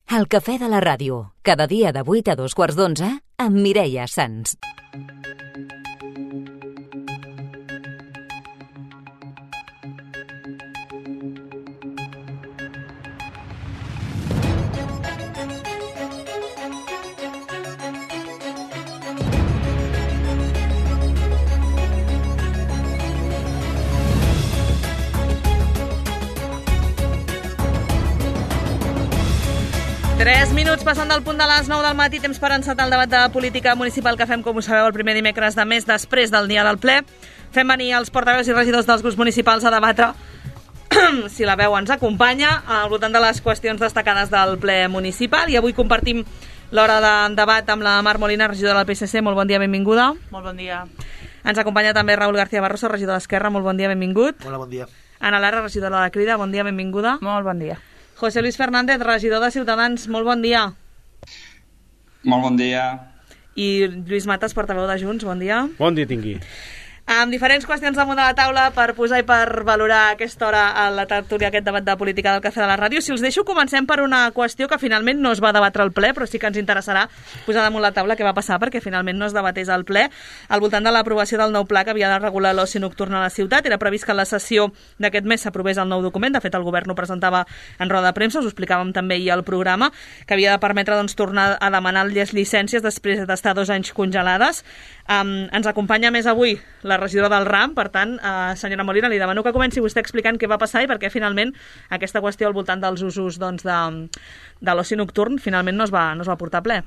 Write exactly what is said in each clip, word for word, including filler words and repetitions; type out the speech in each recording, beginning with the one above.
El cafè de la ràdio, cada dia de vuit a dos quarts d'onze, amb Mireia Sans. Tres minuts passant del punt de les nou del matí, temps per encetar el debat de política municipal que fem, com ho sabeu, el primer dimecres de mes després del dia del ple. Fem venir els portaveus i regidors dels grups municipals a debatre, si la veu ens acompanya, al voltant de les qüestions destacades del ple municipal. I avui compartim l'hora de debat amb la Mar Molina, regidora del P S C. Molt bon dia, benvinguda. Molt bon dia. Ens acompanya també Raül García Barroso, regidor d'Esquerra. Molt bon dia, benvingut. Hola, bon dia. Ana Lara, regidora de Crida. Bon dia, benvinguda. Molt bon dia. José Luis Fernández, regidor de Ciutadans, molt bon dia. Molt bon dia. I Lluís Matas, portaveu de Junts, bon dia. Bon dia tingui. Amb diferents qüestions damunt de la taula per posar i per valorar a aquesta hora a la tertúlia, aquest debat de política del Cafè de la Ràdio. Si us deixo, comencem per una qüestió que finalment no es va debatre al ple, però sí que ens interessarà posar damunt la taula què va passar perquè finalment no es debatés al ple al voltant de l'aprovació del nou pla que havia de regular l'oci nocturn a la ciutat. Era previst que en la sessió d'aquest mes s'aprovés el nou document. De fet, el govern ho presentava en roda de premsa, us ho explicàvem també ahir al programa, que havia de permetre doncs, tornar a demanar les llicències després d'estar dos anys congelades. Um, ens acompanya més avui la regidora del RAM, per tant, uh, senyora Molina, li demano que comenci vostè explicant què va passar i per què finalment aquesta qüestió al voltant dels usos doncs, de, de l'oci nocturn finalment no es va, no es va portar a ple.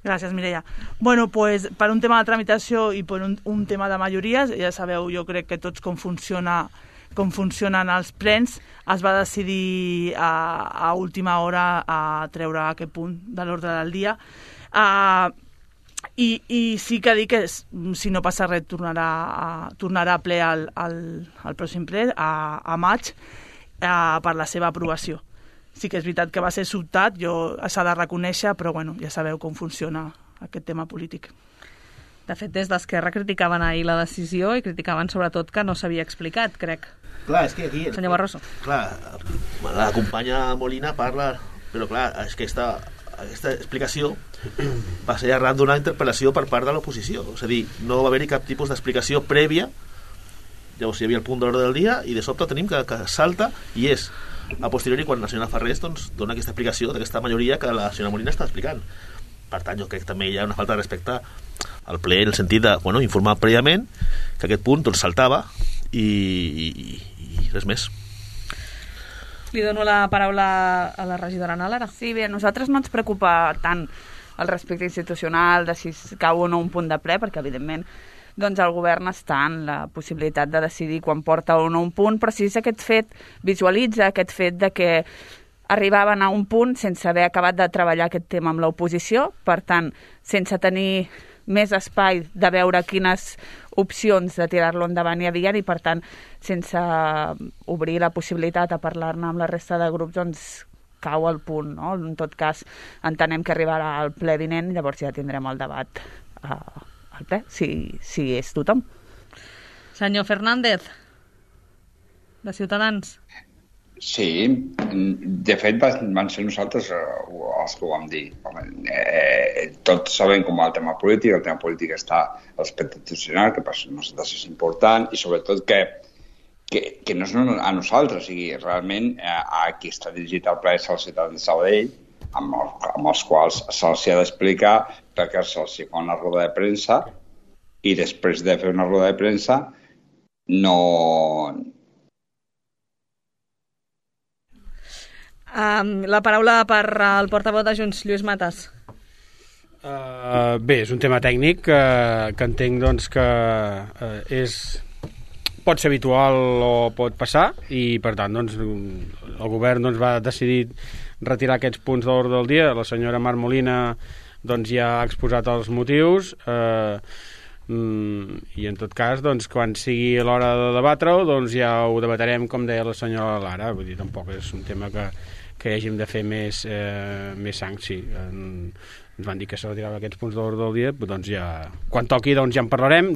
Gràcies, Mireia. Bueno, pues, per un tema de tramitació i per un, un tema de majories, ja sabeu, jo crec que tots com funciona com funcionen els plens, es va decidir a, a última hora a treure aquest punt de l'ordre del dia. Uh, I, i sí que dic que si no passa res tornarà a, tornarà a ple al, al, al pròxim ple a, a maig a, per la seva aprovació. Sí que és veritat que va ser sobtat, jo s'ha de reconèixer, però bueno, ja sabeu com funciona aquest tema polític. De fet, des d'Esquerra criticaven ahir la decisió i criticaven sobretot que no s'havia explicat, crec. Clar, és que aquí... Senyor Barroso. Clar, la companya Molina parla, però clar, és que aquesta, aquesta explicació va ser arran d'una interpel·lació per part de l'oposició. És a dir, no va haver-hi cap tipus d'explicació prèvia. Llavors hi havia el punt de l'ordre del dia i de sobte tenim que, que salta i és a posteriori quan la senyora Farrés doncs, dona aquesta explicació d'aquesta majoria que la senyora Molina està explicant. Per tant, jo crec que també hi ha una falta de respecte al ple en el sentit de bueno, informar prèviament que aquest punt doncs, saltava i, i, i res més. Li dono la paraula a la regidora Ana Lara. Sí, bé, a nosaltres no ens preocupa tant el respecte institucional de si cau o no un punt de ple, perquè evidentment doncs el govern està en la possibilitat de decidir quan porta o no un punt, però si és aquest fet, visualitza aquest fet de que arribaven a un punt sense haver acabat de treballar aquest tema amb l'oposició, per tant, sense tenir més espai de veure quines opcions de tirar-lo endavant hi havia i, per tant, sense obrir la possibilitat a parlar-ne amb la resta de grups, doncs cau el punt, no? En tot cas, entenem que arribarà al ple vinent i llavors ja tindrem el debat uh, al ple, si, si és tothom. Senyor Fernández, de Ciutadans. Sí, de fet van ser nosaltres els que ho vam dir. Eh, tots sabem com va el tema polític, el tema polític està a l'aspecte institucional, que per nosaltres és important, i sobretot que, que, que no és a nosaltres, o sigui, realment eh, a qui està dirigit el pla és el ciutadà de Sabadell, amb, el, amb els quals se'ls ha d'explicar perquè se'ls fa una roda de premsa i després de fer una roda de premsa no... Um, la paraula per al portaveu de Junts, Lluís Matas. Uh, bé, és un tema tècnic que, que entenc doncs, que uh, és, pot ser habitual o pot passar i per tant doncs, el govern doncs, va decidir retirar aquests punts de l'ordre del dia. La senyora Mar Molina doncs, ja ha exposat els motius uh, i en tot cas doncs, quan sigui l'hora de debatre-ho doncs, ja ho debatarem com deia la senyora Lara. Vull dir, tampoc és un tema que que hàgim de fer més, eh, més sang, sí. En, ens van dir que se retiraven aquests punts d'ordre del dia, doncs ja, quan toqui doncs ja en parlarem,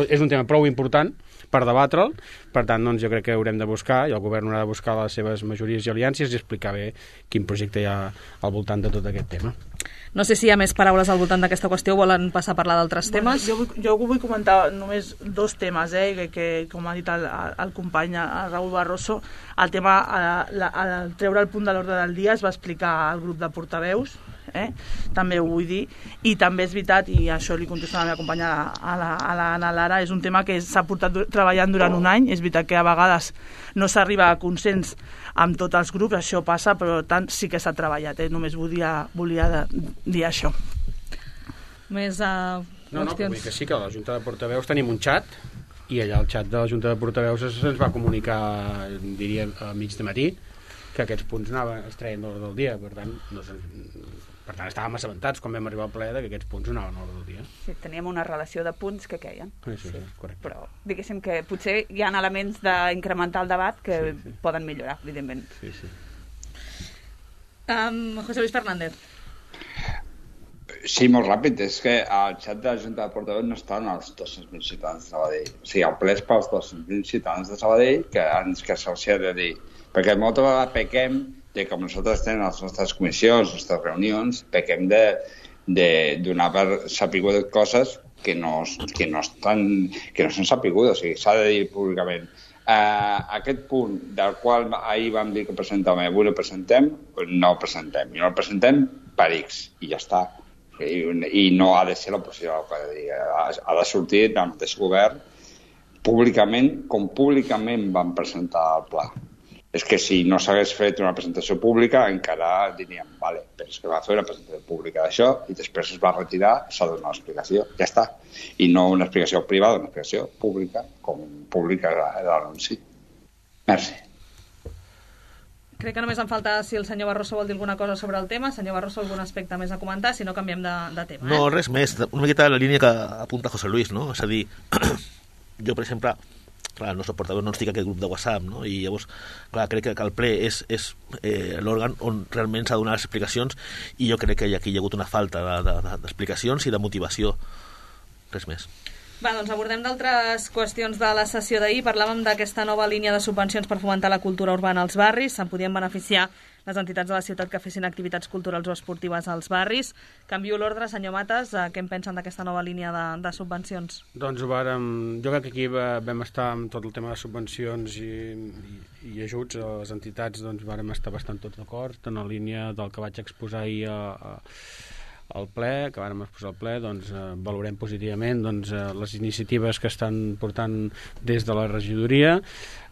és un tema prou important per debatre'l, per tant, doncs, jo crec que haurem de buscar, i el govern haurà de buscar les seves majories i aliances i explicar bé quin projecte hi ha al voltant de tot aquest tema. No sé si hi ha més paraules al voltant d'aquesta qüestió o volen passar a parlar d'altres bueno, temes. Jo vull, jo vull comentar només dos temes, eh, que, que com ha dit el, el company el Raúl Barroso, el tema, al treure el punt de l'ordre del dia es va explicar al grup de portaveus, eh? També ho vull dir, i també és veritat, i això li contesto a la meva companya a la, a la Anna Lara, és un tema que s'ha portat treballant durant un any, és veritat que a vegades no s'arriba a consens amb tots els grups, això passa, però tant sí que s'ha treballat, eh? Només volia, volia dir això. Més uh, no, no, vull que sí, que a la Junta de Portaveus tenim un xat, i allà al xat de la Junta de Portaveus se'ns va comunicar, diria, a mig de matí, que aquests punts anaven, es treien d'ordre del dia, per tant, no sé, per tant estàvem assabentats quan vam arribar al ple que aquests punts anaven a l'ordre del dia. Sí, teníem una relació de punts que queien. Sí, sí, sí, correcte. Però diguéssim que potser hi ha elements d'incrementar el debat que sí, sí. poden millorar, evidentment. Sí, sí. Um, José Luis Fernández. Sí, molt ràpid. És que al xat de la Junta de Portaveus no estan els dos-cents mil ciutadans de Sabadell. O sigui, el ple és pels dos-cents mil ciutadans de Sabadell que ens que se'ls ha de dir. Perquè moltes vegades pequem de com nosaltres tenim les nostres comissions, les nostres reunions, pequem de, de donar per sapigudes coses que no, que no, estan, que no són sapigudes, o sigui, s'ha de dir públicament. Uh, aquest punt del qual ahir vam dir que presentàvem i avui el presentem, no el presentem. I no el presentem per X, i ja està. I, i no ha de ser l'oposició, ha, ha de sortir del mateix govern públicament, com públicament van presentar el pla. És que si no s'hagués fet una presentació pública encara diríem, vale, però és que va fer una presentació pública d'això i després es va retirar, s'ha donat una explicació, ja està. I no una explicació privada, una explicació pública, com pública l'anunci. Merci. Crec que només em falta si el senyor Barroso vol dir alguna cosa sobre el tema. Senyor Barroso, algun aspecte més a comentar? Si no, canviem de, de tema. Eh? No, res més. Una miqueta la línia que apunta José Luis, no? És a dir, jo, per exemple, clar, el nostre portaveu no ens fica aquest grup de WhatsApp, no? I llavors, clar, crec que el ple és, és eh, l'òrgan on realment s'ha de donar les explicacions i jo crec que aquí hi ha hagut una falta d'explicacions de, de, i de motivació. Res més. Va, doncs abordem d'altres qüestions de la sessió d'ahir. Parlàvem d'aquesta nova línia de subvencions per fomentar la cultura urbana als barris. Se'n podien beneficiar les entitats de la ciutat que fessin activitats culturals o esportives als barris. Canvio l'ordre, senyor Matas. Què en pensen d'aquesta nova línia de, de subvencions? Doncs ho vàrem... Jo crec que aquí vam estar amb tot el tema de subvencions i, i, i ajuts a les entitats, doncs vàrem estar bastant tots d'acord, en la línia del que vaig exposar ahir a, a al ple, que vàrem exposar al ple, doncs eh, valorem positivament doncs, eh, les iniciatives que estan portant des de la regidoria,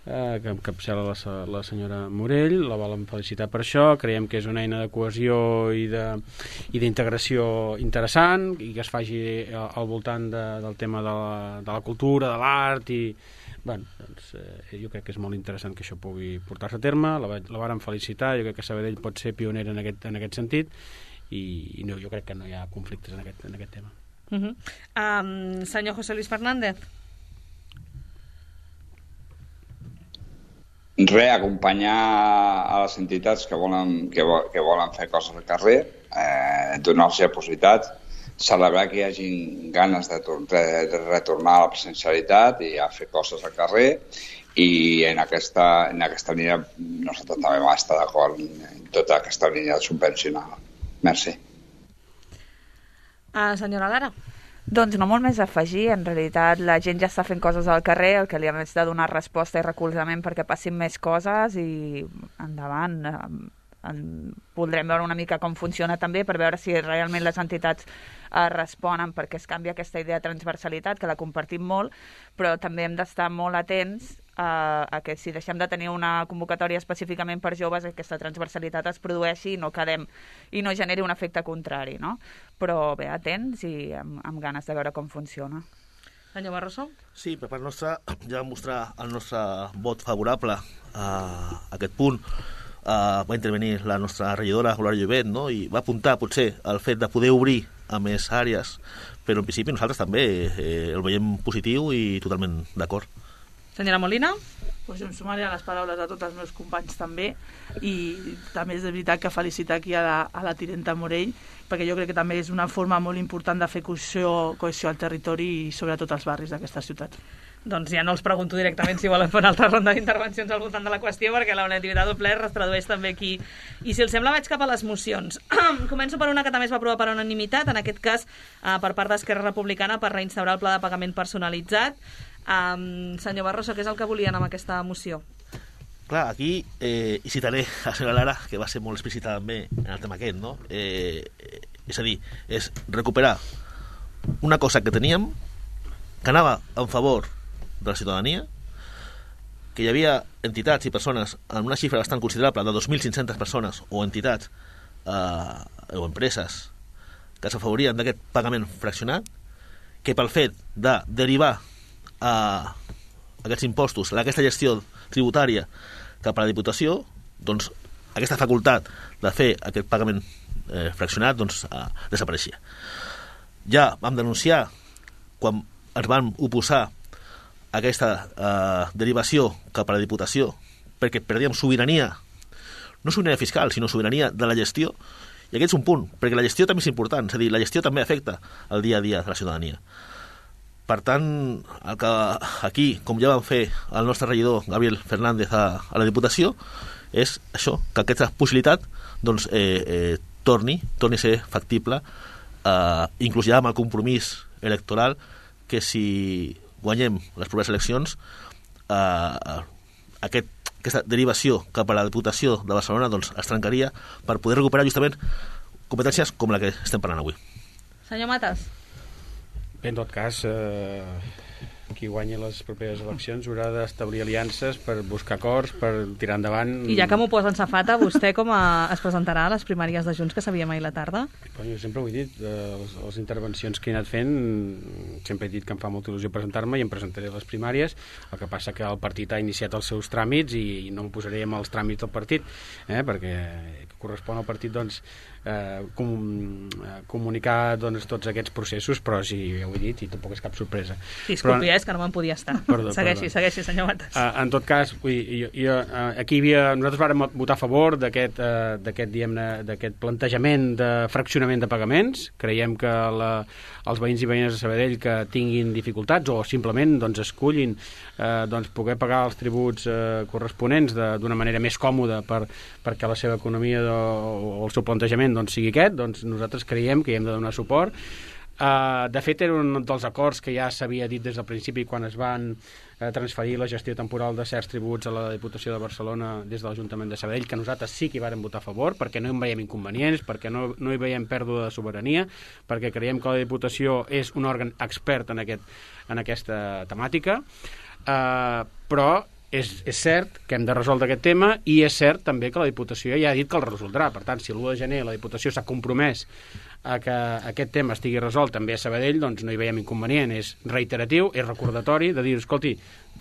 eh, que encapçala la, la senyora Morell, la volem felicitar per això, creiem que és una eina de cohesió i d'integració interessant i que es faci al voltant de, del tema de la, de la cultura, de l'art i bueno, doncs, eh, jo crec que és molt interessant que això pugui portar-se a terme, la, la vàrem felicitar, jo crec que Sabadell pot ser pionera en aquest, en aquest sentit i, i no, jo crec que no hi ha conflictes en aquest, en aquest tema. Uh-huh. um, senyor José Luis Fernández. Re, acompanyar a les entitats que volen, que, que volen fer coses al carrer, eh, donar-los la possibilitat, celebrar que hi hagin ganes de, de retornar a la presencialitat i a fer coses al carrer i en aquesta, en aquesta línia nosaltres també vam estar d'acord en tota aquesta línia de subvencionar. Merci. Uh, senyora Lara. Doncs no molt més a afegir, en realitat la gent ja està fent coses al carrer, el que li hem de donar resposta i recolzament perquè passin més coses i endavant. En, voldrem veure una mica com funciona també per veure si realment les entitats eh, responen perquè es canvia aquesta idea de transversalitat, que la compartim molt, però també hem d'estar molt atents a, a que si deixem de tenir una convocatòria específicament per joves, aquesta transversalitat es produeixi i no quedem i no generi un efecte contrari, no? Però bé, atents i amb, amb ganes de veure com funciona. Senyor Barroso? Sí, per part nostra ja vam mostrar el nostre vot favorable a aquest punt. Uh, va intervenir la nostra regidora, Eulàlia Llobet, no? I va apuntar potser el fet de poder obrir a més àrees, però en principi nosaltres també eh, el veiem positiu i totalment d'acord. Senyora Molina? Pues jo em sumaré a les paraules de tots els meus companys també, i també és de veritat que felicitar aquí a la, a la tinenta Morell, perquè jo crec que també és una forma molt important de fer cohesió, cohesió al territori i sobretot als barris d'aquesta ciutat. Doncs ja no els pregunto directament si volen fer una altra ronda d'intervencions al voltant de la qüestió, perquè la unanimitat del ple es tradueix també aquí. I si els sembla, vaig cap a les mocions. Començo per una que també es va aprovar per unanimitat, en aquest cas eh, per part d'Esquerra Republicana, per reinstaurar el pla de pagament personalitzat. Um, senyor Barroso, què és el que volien amb aquesta moció? Clar, aquí, eh, i citaré a la senyora Lara, que va ser molt explícita també en el tema aquest, no? Eh, és a dir, és recuperar una cosa que teníem, que anava en favor de la ciutadania, que hi havia entitats i persones amb una xifra bastant considerable de dos mil cinc-centes persones o entitats eh, o empreses que s'afavorien d'aquest pagament fraccionat, que pel fet de derivar a aquests impostos, a aquesta gestió tributària cap a la Diputació, doncs aquesta facultat de fer aquest pagament eh, fraccionat doncs, eh, desapareixia. Ja vam denunciar quan ens vam oposar a aquesta eh, derivació cap a la Diputació perquè perdíem sobirania, no sobirania fiscal, sinó sobirania de la gestió, i aquest és un punt, perquè la gestió també és important, és a dir, la gestió també afecta el dia a dia de la ciutadania. Per tant, el que aquí, com ja vam fer el nostre regidor Gabriel Fernández a, a la Diputació, és això, que aquesta possibilitat doncs, eh, eh, torni, torni a ser factible, eh, inclús ja amb el compromís electoral que si guanyem les properes eleccions, eh, aquest, aquesta derivació cap a la Diputació de Barcelona doncs, es trencaria per poder recuperar justament competències com la que estem parlant avui. Senyor Matas. Bé, en tot cas, eh, qui guanyi les properes eleccions haurà d'establir aliances per buscar acords, per tirar endavant... I ja que m'ho posen safata, vostè com a, es presentarà a les primàries de Junts que sabíem ahir la tarda? Bueno, jo sempre ho he dit, eh, les, les intervencions que he anat fent, sempre he dit que em fa molta il·lusió presentar-me i em presentaré a les primàries, el que passa que el partit ha iniciat els seus tràmits i, i no em posaré amb els tràmits del partit, eh, perquè correspon al partit doncs, eh, com, eh, comunicar doncs, tots aquests processos, però sí, ja ho he dit i tampoc és cap sorpresa. Disculpi, però, és que no me'n podia estar. Perdó, segueixi, perdó. segueixi, senyor Matas. Uh, en tot cas, vull, jo, jo, uh, aquí hi havia, nosaltres vàrem votar a favor d'aquest uh, d'aquest d'aquest plantejament de fraccionament de pagaments. Creiem que la, els veïns i veïnes de Sabadell que tinguin dificultats o simplement doncs, escullin uh, doncs, poder pagar els tributs uh, corresponents d'una manera més còmoda per, perquè la seva economia o, o el seu plantejament doncs, sigui aquest, doncs nosaltres creiem que hi hem de donar suport. Uh, de fet, era un dels acords que ja s'havia dit des del principi quan es van uh, transferir la gestió temporal de certs tributs a la Diputació de Barcelona des de l'Ajuntament de Sabadell, que nosaltres sí que hi vàrem votar a favor, perquè no hi veiem inconvenients, perquè no, no hi veiem pèrdua de sobirania, perquè creiem que la Diputació és un òrgan expert en, aquest, en aquesta temàtica, uh, però és, és cert que hem de resoldre aquest tema i és cert també que la Diputació ja ha dit que el resoldrà. Per tant, si l'u de gener la Diputació s'ha compromès a que aquest tema estigui resolt també a Sabadell, doncs no hi veiem inconvenient, és reiteratiu, és recordatori de dir, escolti,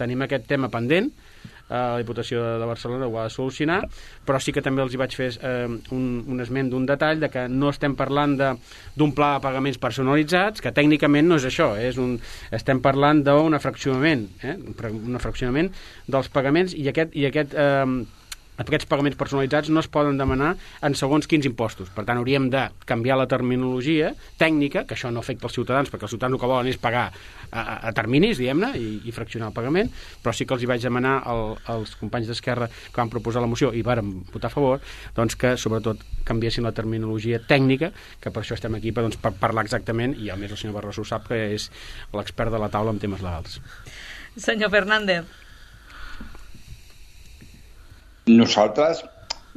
tenim aquest tema pendent, eh, la Diputació de Barcelona ho ha de solucionar, però sí que també els hi vaig fer eh, un, un esment d'un detall de que no estem parlant d'un pla de pagaments personalitzats, que tècnicament no és això, és un, estem parlant d'un fraccionament, eh, un fraccionament dels pagaments i aquest, i aquest eh, aquests pagaments personalitzats no es poden demanar en segons quins impostos. Per tant, hauríem de canviar la terminologia tècnica, que això no afecta els ciutadans, perquè els ciutadans el que volen és pagar a, a terminis, diguem-ne, i, i fraccionar el pagament, però sí que els hi vaig demanar al, als companys d'Esquerra que van proposar la moció i vàrem votar a favor, doncs que sobretot canviessin la terminologia tècnica, que per això estem aquí, per, doncs, per parlar exactament, i a més el senyor Barroso sap que és l'expert de la taula en temes legals. Senyor Fernández. Nosaltres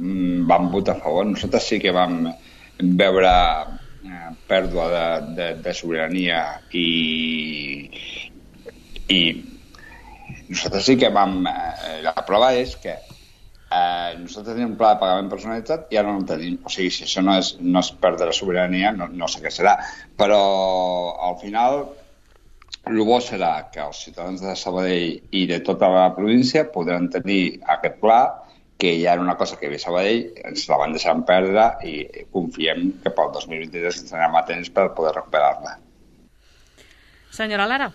mm, vam votar a favor, nosaltres sí que vam veure eh, pèrdua de, de, de sobirania i, i nosaltres sí que vam... Eh, la prova és que eh, nosaltres tenim un pla de pagament personalitzat i ara no en tenim. O sigui, si això no és, no és perdre la sobirania, no, no sé què serà. Però al final el bo serà que els ciutadans de Sabadell i de tota la província podran tenir aquest pla, que ja era una cosa que ve a Sabadell, ens la van deixar perdre i confiem que pel dos mil vint-i-tres ens anem a temps per poder recuperar-la. Senyora Lara.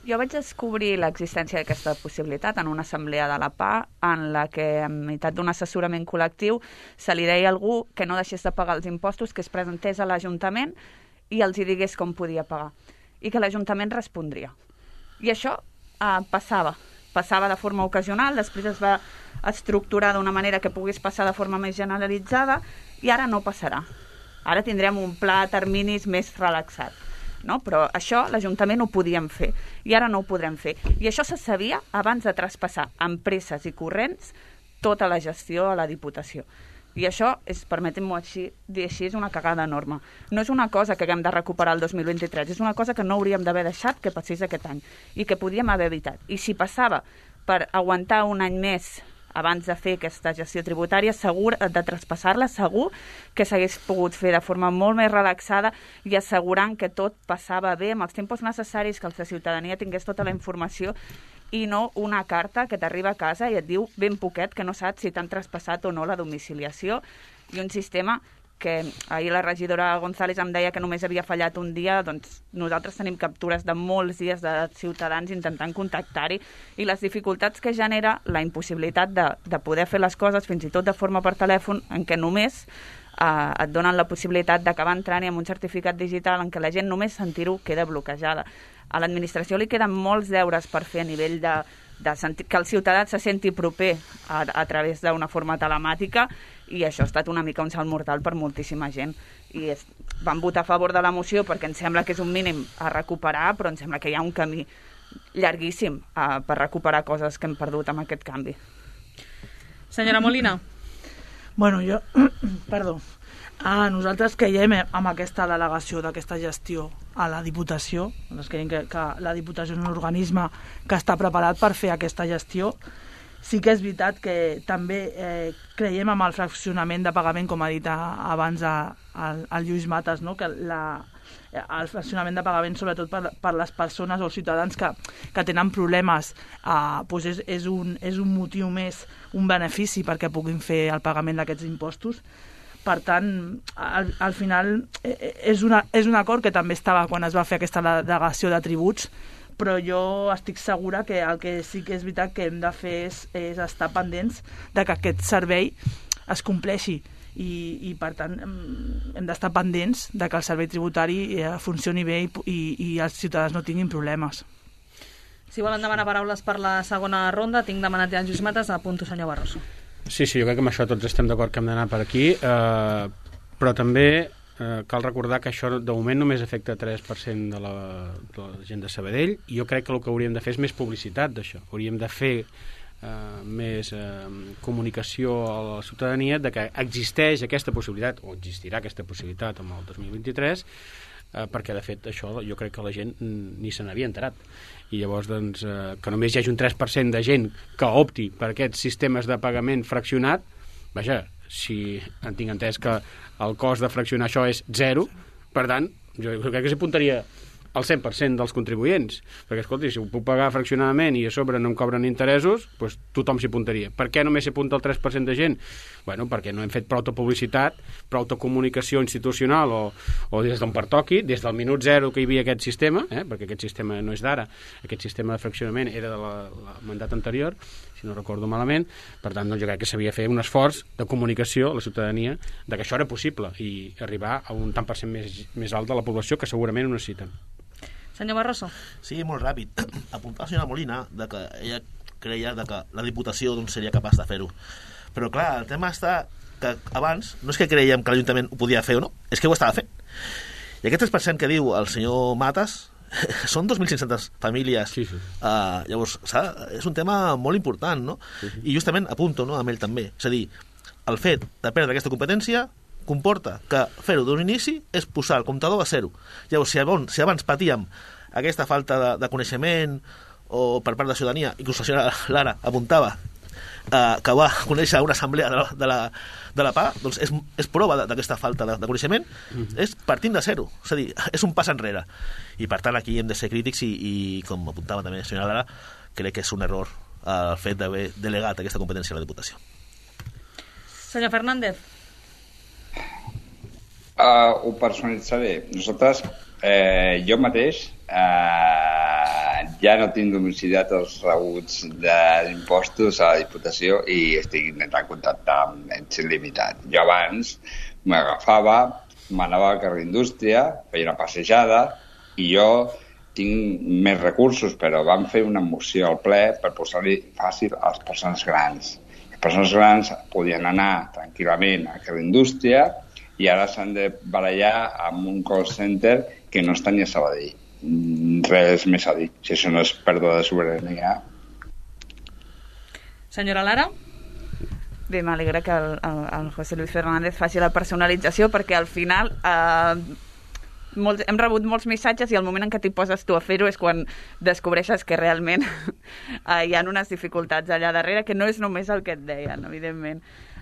Jo vaig descobrir l'existència d'aquesta possibilitat en una assemblea de la P A en la que, en meitat d'un assessorament col·lectiu, se li deia a algú que no deixés de pagar els impostos, que es presentés a l'Ajuntament i els hi digués com podia pagar. I que l'Ajuntament respondria. I això eh, passava. Passava de forma ocasional, després es va estructurar d'una manera que pogués passar de forma més generalitzada i ara no passarà. Ara tindrem un pla a terminis més relaxat. No? Però això l'Ajuntament ho podíem fer i ara no ho podrem fer. I això se sabia abans de traspassar amb presses i corrents tota la gestió a la Diputació. I això, és, permetem-m'ho així, dir així, és una cagada enorme. No és una cosa que haguem de recuperar el dos mil vint-i-tres, és una cosa que no hauríem d'haver deixat que passés aquest any i que podíem haver evitat. I si passava per aguantar un any més abans de fer aquesta gestió tributària, segur de traspassar-la, segur que s'hagués pogut fer de forma molt més relaxada i assegurant que tot passava bé amb els tempos necessaris, que la ciutadania tingués tota la informació i no una carta que t'arriba a casa i et diu ben poquet que no saps si t'han traspassat o no la domiciliació, i un sistema que ahir la regidora González em deia que només havia fallat un dia. Doncs nosaltres tenim captures de molts dies de ciutadans intentant contactar-hi, i les dificultats que genera la impossibilitat de, de poder fer les coses, fins i tot de forma per telèfon, en què només eh, et donen la possibilitat d'acabar entrant-hi amb un certificat digital en què la gent només sentir-ho queda bloquejada. A l'administració li queden molts deures per fer a nivell de, de sentir, que el ciutadà se senti proper a, a través d'una forma telemàtica, i això ha estat una mica un salt mortal per moltíssima gent. I és, vam votar a favor de la moció perquè ens sembla que és un mínim a recuperar, però ens sembla que hi ha un camí llarguíssim uh, per recuperar coses que hem perdut amb aquest canvi. Senyora Molina. Bueno, jo... Perdó. Ah, nosaltres creiem amb aquesta delegació d'aquesta gestió a la Diputació. Nosaltres creiem que, que la Diputació és un organisme que està preparat per fer aquesta gestió. Sí que és veritat que també eh, creiem amb el fraccionament de pagament, com ha dit a, abans a, a, a Lluís Matas, no? Que la, el fraccionament de pagament, sobretot per, per les persones o els ciutadans que, que tenen problemes, eh, doncs és, és, un, és un motiu més, un benefici perquè puguin fer el pagament d'aquests impostos. Per tant, al, al final és, una, és un acord que també estava quan es va fer aquesta delegació de tributs, però jo estic segura que el que sí que és veritat que hem de fer és, és estar pendents de que aquest servei es compleixi i, i per tant hem d'estar pendents de que el servei tributari funcioni bé i, i, i els ciutadans no tinguin problemes. Si volen demanar paraules per la segona ronda, tinc demanat ja en Lluís Matas, apunto senyor Barroso. Sí, sí, jo crec que amb això tots estem d'acord que hem d'anar per aquí, eh, però també eh, cal recordar que això de moment només afecta tres per cent de la, de la gent de Sabadell, i jo crec que el que hauríem de fer és més publicitat d'això. Hauríem de fer eh, més eh, comunicació a la ciutadania de que existeix aquesta possibilitat, o existirà aquesta possibilitat amb el dos mil vint-i-tres, eh, perquè de fet això jo crec que la gent ni se n'havia enterat. I llavors doncs, eh, que només hi hagi un tres per cent de gent que opti per aquests sistemes de pagament fraccionat, vaja, si en tinc entès que el cost de fraccionar això és zero, per tant, jo crec que s'hi apuntaria al cent per cent dels contribuents, perquè, escolti, si ho puc pagar fraccionadament i a sobre no em cobren interessos, doncs tothom s'hi apuntaria. Per què només s'hi apunta el tres per cent de gent? Bueno, perquè no hem fet prou publicitat, prou comunicació institucional o, o des d'on pertoqui, des del minut zero que hi havia aquest sistema, eh, perquè aquest sistema no és d'ara, aquest sistema de fraccionament era del mandat anterior, si no recordo malament. Per tant, doncs, jo crec que s'havia de fer un esforç de comunicació a la ciutadania de que això era possible i arribar a un tant per cent més, més alt de la població que segurament ho necessiten. Senyor Barroso. Sí, molt ràpid. Apuntar la senyora Molina de que ella creia de que la Diputació doncs, seria capaç de fer-ho. Però clar, el tema està que abans no és que creiem que l'Ajuntament ho podia fer o no, és que ho estava fent. I aquest tres per cent que diu el senyor Matas són dos mil cinc-centes famílies. Sí, sí. Uh, llavors, és un tema molt important, no? Sí, sí. I justament apunto, no, amb ell també. És a dir, el fet de perdre aquesta competència comporta que fer-ho d'un inici és posar el comptador a zero. Llavors, si abans, si abans patíem aquesta falta de, de coneixement o per part de la ciutadania, inclús la senyora Lara apuntava eh, que va conèixer una assemblea de la, de la, de la P A, doncs és, és prova d'aquesta falta de, de coneixement, mm-hmm. és partint de zero, és a dir, és un pas enrere. I per tant aquí hem de ser crítics i, i com apuntava també la senyora Lara, crec que és un error el fet d'haver delegat aquesta competència a la Diputació. Senyor Fernández. Uh, ho personalitzaré. Nosaltres, eh, jo mateix, eh, ja no tinc domiciliat els rebuts d'impostos a la Diputació i estic intentant contactar amb ells il·limitat. Jo abans m'agafava, m'anava al carrer Indústria, feia una passejada i jo tinc més recursos, però vam fer una moció al ple per posar-li fàcil a les persones grans. Les persones grans podien anar tranquil·lament a carrer Indústria i ara s'han de barallar amb un call center que no està ni a Sabadell. Res més a dir, si això no és pèrdua de sobirania. Senyora Lara? Bé, m'alegra que el, el, el José Luis Fernández faci la personalització perquè al final eh, molts, hem rebut molts missatges i el moment en què t'hi poses tu a fer-ho és quan descobreixes que realment eh, hi ha unes dificultats allà darrere que no és només el que et deien, evidentment.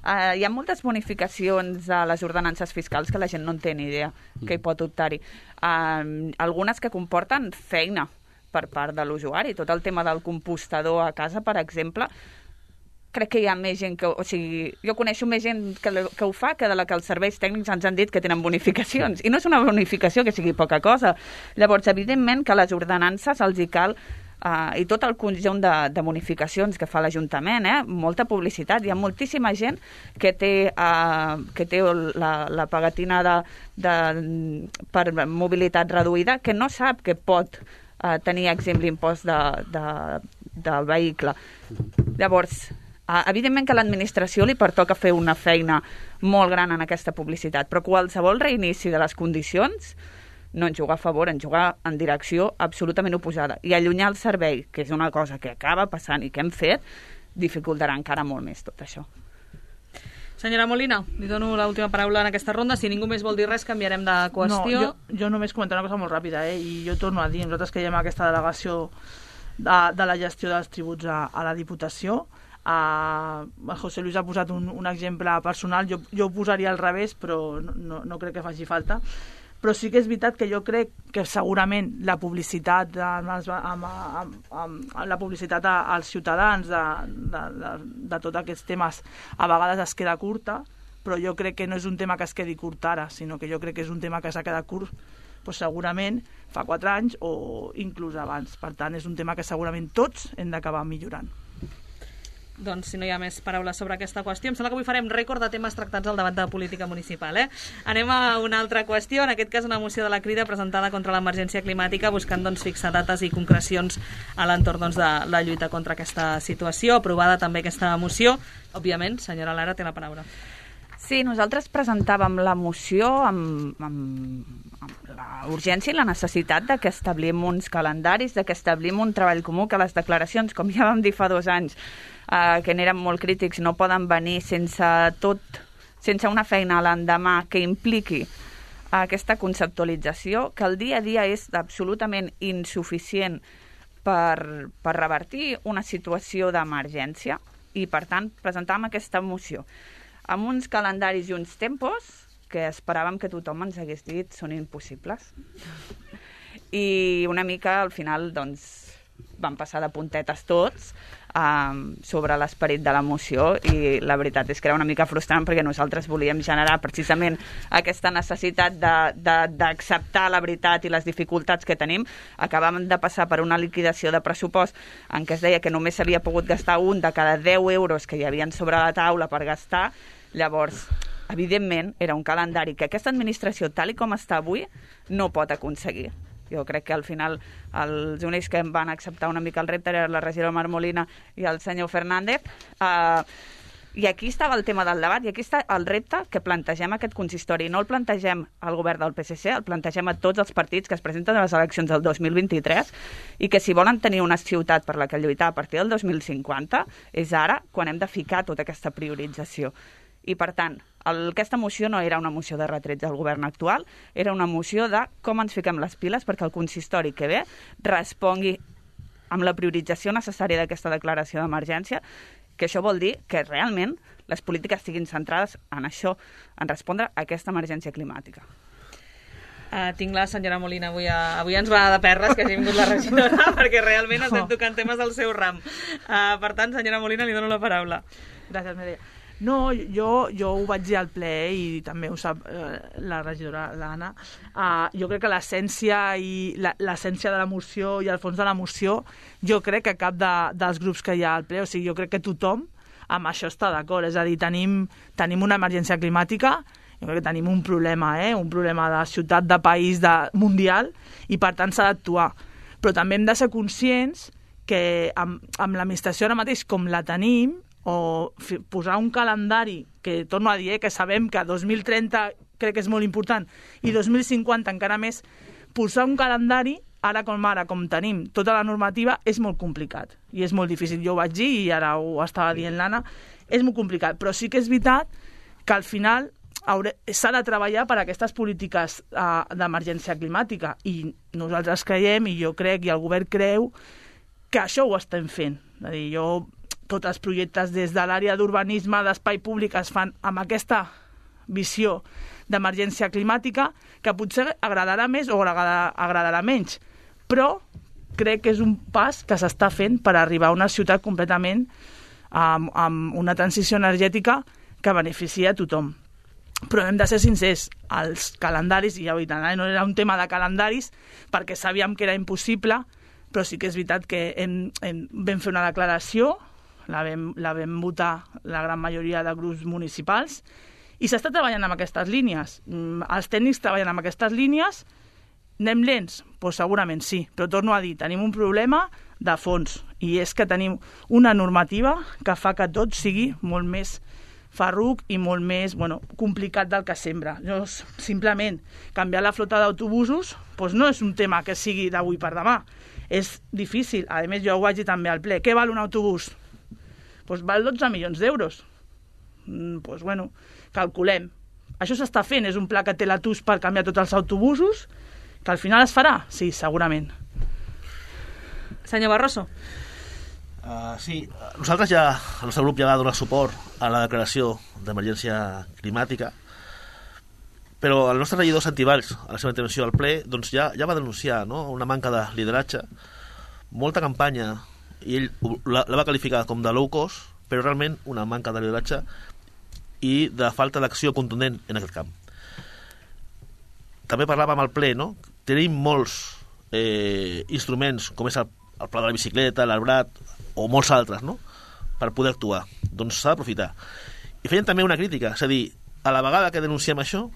Uh, hi ha moltes bonificacions a les ordenances fiscals que la gent no en té ni idea que hi pot optar-hi. Uh, algunes que comporten feina per part de l'usuari. Tot el tema del compostador a casa, per exemple, crec que hi ha més gent que... O sigui, jo coneixo més gent que, que ho fa que de la que els serveis tècnics ens han dit que tenen bonificacions. I no és una bonificació que sigui poca cosa. Llavors, evidentment que a les ordenances els hi cal Uh, i tot el conjunt de, de bonificacions que fa l'Ajuntament, eh? Molta publicitat. Hi ha moltíssima gent que té, uh, que té la, la pagatina de, de, per mobilitat reduïda que no sap que pot uh, tenir exempt l'impost de, de, del vehicle. Llavors, uh, evidentment que a l'administració li pertoca fer una feina molt gran en aquesta publicitat, però qualsevol reinici de les condicions no en jugar a favor, en jugar en direcció absolutament oposada. I allunyar el servei, que és una cosa que acaba passant i que hem fet, dificultarà encara molt més tot això. Senyora Molina, li dono l'última paraula en aquesta ronda. Si ningú més vol dir res, canviarem de qüestió. No, jo, jo només comentar una cosa molt ràpida, eh? I jo torno a dir, nosaltres que hi ha aquesta delegació de, de la gestió dels tributs a, a la Diputació, Uh, José Luis ha posat un, un exemple personal, jo, jo ho posaria al revés, però no, no, no crec que faci falta. Però sí que és veritat que jo crec que segurament la publicitat amb, els, amb, amb, amb la publicitat als ciutadans de, de, de, de tots aquests temes a vegades es queda curta, però jo crec que no és un tema que es quedi curt ara, sinó que jo crec que és un tema que s'ha quedat curt doncs segurament fa quatre anys o inclús abans. Per tant, és un tema que segurament tots hem d'acabar millorant. Doncs si no hi ha més paraules sobre aquesta qüestió, em sembla que avui farem rècord de temes tractats al debat de política municipal. Eh? Anem a una altra qüestió, en aquest cas una moció de la Crida presentada contra l'emergència climàtica, buscant doncs, fixar dates i concrecions a l'entorn doncs, de la lluita contra aquesta situació. Aprovada també aquesta moció. Òbviament, senyora Lara, té la paraula. Sí, nosaltres presentàvem la moció amb, amb, amb la urgència i la necessitat de que establim uns calendaris, de que establim un treball comú, que les declaracions, com ja vam dir fa dos anys, eh, que n'eren molt crítics, no poden venir sense tot, sense una feina a l'endemà que impliqui aquesta conceptualització, que el dia a dia és absolutament insuficient per, per revertir una situació d'emergència i, per tant, presentàvem aquesta moció amb uns calendaris i uns tempos que esperàvem que tothom ens hagués dit són impossibles. I una mica, al final, doncs, van passar de puntetes tots um, sobre l'esperit de la moció i la veritat és que era una mica frustrant perquè nosaltres volíem generar precisament aquesta necessitat d'acceptar la veritat i les dificultats que tenim. Acabàvem de passar per una liquidació de pressupost en què es deia que només s'havia pogut gastar un de cada deu euros que hi havien sobre la taula per gastar. Llavors, evidentment, era un calendari que aquesta administració, tal i com està avui, no pot aconseguir. Jo crec que al final els únics que em van acceptar una mica el repte eren la regidora Mar Molina i el senyor Fernández. Uh, I aquí estava el tema del debat, i aquí està el repte que plantegem aquest consistori. No el plantegem al govern del P S C, el plantegem a tots els partits que es presenten a les eleccions del dos mil vint-i-tres i que si volen tenir una ciutat per la que lluitar a partir del dos mil cinquanta és ara quan hem de ficar tota aquesta priorització. I, per tant, el, aquesta moció no era una moció de retrets al govern actual, era una moció de com ens fiquem les piles perquè el consistori que ve respongui amb la priorització necessària d'aquesta declaració d'emergència, que això vol dir que realment les polítiques siguin centrades en això, en respondre a aquesta emergència climàtica. Uh, tinc la senyora Molina avui, a, avui ens va de perres que hagi vingut la regidora perquè realment estem tocant temes del seu ram. Uh, per tant, senyora Molina, li dono la paraula. Gràcies, Mireia. No, jo, jo ho vaig dir al ple i també ho sap eh, la regidora l'Anna. Uh, jo crec que l'essència i la, l'essència de la moció i el fons de la moció, jo crec que cap de, dels grups que hi ha al ple, o sigui, jo crec que tothom amb això està d'acord. És a dir, tenim, tenim una emergència climàtica, jo crec que tenim un problema, eh? un problema de ciutat, de país, de mundial, i per tant s'ha d'actuar. Però també hem de ser conscients que amb, amb l'administració ara mateix com la tenim, o f- posar un calendari, que torno a dir, eh, que sabem que dos mil trenta crec que és molt important, i dos mil cinquanta encara més, posar un calendari, ara com ara, com tenim tota la normativa, és molt complicat, i és molt difícil. Jo ho vaig dir, i ara ho estava dient l'Anna, és molt complicat, però sí que és veritat que al final hauré, s'ha de treballar per a aquestes polítiques uh, d'emergència climàtica, i nosaltres creiem, i jo crec, i el govern creu, que això ho estem fent. És a dir, jo tots els projectes des de l'àrea d'urbanisme, d'espai públic, es fan amb aquesta visió d'emergència climàtica, que potser agradarà més o agradarà, agradarà menys, però crec que és un pas que s'està fent per arribar a una ciutat completament amb, amb una transició energètica que beneficia a tothom. Però hem de ser sincers, els calendaris, i ja ho he dit, no era un tema de calendaris, perquè sabíem que era impossible, però sí que és veritat que hem, hem, vam fer una declaració, la vam, la vam votar la gran majoria de grups municipals, i s'està treballant amb aquestes línies. Els tècnics treballen amb aquestes línies. Anem lents? Pues segurament sí, però torno a dir, tenim un problema de fons, i és que tenim una normativa que fa que tot sigui molt més farruc i molt més bueno, complicat del que sembla. Jo, simplement, canviar la flota d'autobusos pues no és un tema que sigui d'avui per demà. És difícil. A més, jo ho vaig dir també al ple. Què val un autobús? Pues val dotze milions d'euros. Mm, pues bueno, calculem. Això s'està fent, és un pla que té la T U S per canviar tots els autobusos, que al final es farà? Sí, segurament. Senyor Barroso. Uh, sí, nosaltres ja, el nostre grup ja va donar suport a la declaració d'emergència climàtica, però el nostre regidor Santi Valls, a la seva intervenció al ple, doncs ja, ja va denunciar, no?, una manca de lideratge, molta campanya, i ell la, la va qualificar com de low cost, però realment una manca de lideratge i de falta d'acció contundent en aquest camp. També parlàvem al ple, no?, tenim molts eh, instruments, com és el, el pla de la bicicleta, l'arbrat, o molts altres, no?, per poder actuar. Doncs s'ha d'aprofitar. I feien també una crítica, és a dir, a la vegada que denunciem això,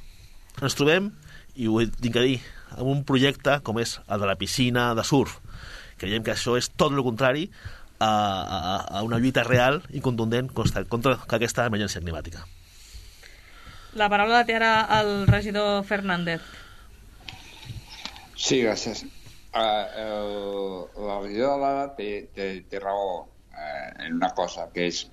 ens trobem, i ho tinc a dir, amb un projecte com és el de la piscina de surf. Creiem que això és tot el contrari a, a, a una lluita real i contundent contra, contra aquesta emergència climàtica. La paraula la té ara el regidor Fernández. Sí, gràcies. Uh, el, la regidora Lara té, té, té raó uh, en una cosa, que és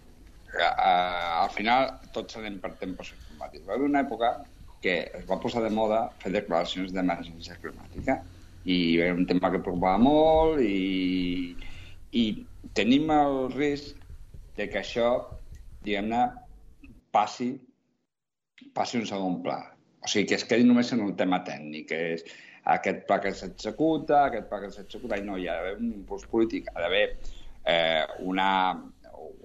que uh, al final tots anem per tempos climàtics. Va haver una època que es va posar de moda fer declaracions d'emergència climàtica, i era un tema que preocupava molt, i, i tenim el risc de que això, diguem-ne, passi, passi un segon pla. O sigui, que es quedi només en un tema tècnic, que és aquest pla que s'executa, aquest pla que s'executa, i no, hi ha d'haver un impuls polític, ha d'haver eh, una,